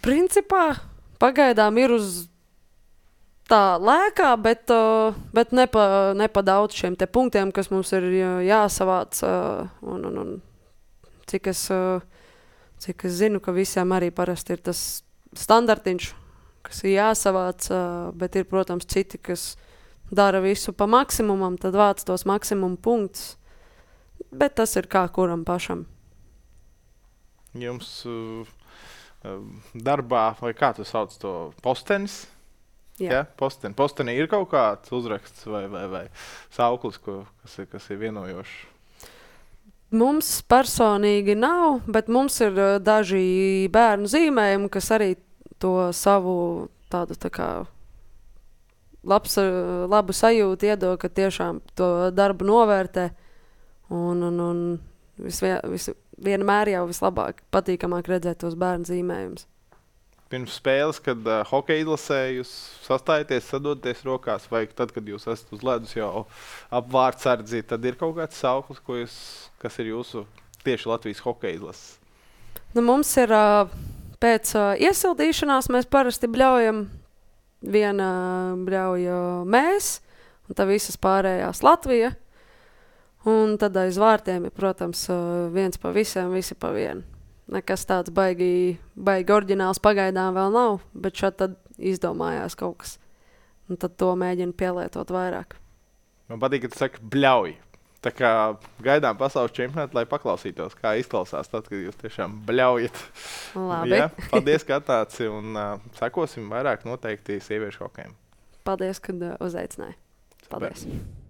Speaker 1: Principā pagaidām ir uz tā lēkā, bet, uh, bet ne, pa, ne pa daudz šiem te punktiem, kas mums ir jāsavāc. Uh, un, un, un cik, es, uh, cik es zinu, ka visiem arī parasti ir tas standartiņš, kas ir jāsavāc, uh, bet ir, protams, citi, kas dara visu pa maksimumam, tad vāc tos maksimumu punktus. Bet tas ir kā kuram pašam.
Speaker 2: Jums uh, darbā, vai kā tu sauc to, postenis?
Speaker 1: Jā.
Speaker 2: Ja? Posten. Postenī ir kaut kāds uzraksts vai, vai, vai sauklis, ko, kas, ir, kas ir vienojošs?
Speaker 1: Mums personīgi nav, bet mums ir uh, daži bērnu zīmējumi, kas arī to savu tādu tā kā labs, uh, labu sajūtu iedod, ka tiešām to darbu novērtē. Un, un, un visvien, vis, vienmēr jau vislabāk, patīkamāk redzēt tos bērnu zīmējumus.
Speaker 2: Pirms spēles, kad uh, hokeja izlasē jūs sastājaties, sadoties rokās, vai tad, kad jūs esat uz ledus jau ap vārdsardzi, tad ir kaut kāds sauklis, ko jūs, kas ir jūsu tieši Latvijas hokeja izlases?
Speaker 1: Nu, mums ir uh, pēc uh, iesildīšanās mēs parasti bļaujam. Viena bļauja mēs, un tā visas pārējās Latvija. Un tad aiz vārtiem ir, protams, viens pa visiem, visi pa vienu. Nekas tāds baigi, baigi oriģināls pagaidām vēl nav, bet šad tad izdomājās kaut kas. Un tad to mēģina pielietot vairāk.
Speaker 2: Man patīk, ka tu saki bļauj. Tā kā gaidām pasaules čempionātu, lai paklausītos, kā izklausās tad, kad jūs tiešām bļaujat.
Speaker 1: Labi.
Speaker 2: Ja? Paldies, ka atnāci, un uh, sekosim vairāk noteikti sieviešu hokejam.
Speaker 1: Paldies, kad uh, uzaicināji. Paldies.
Speaker 2: Super.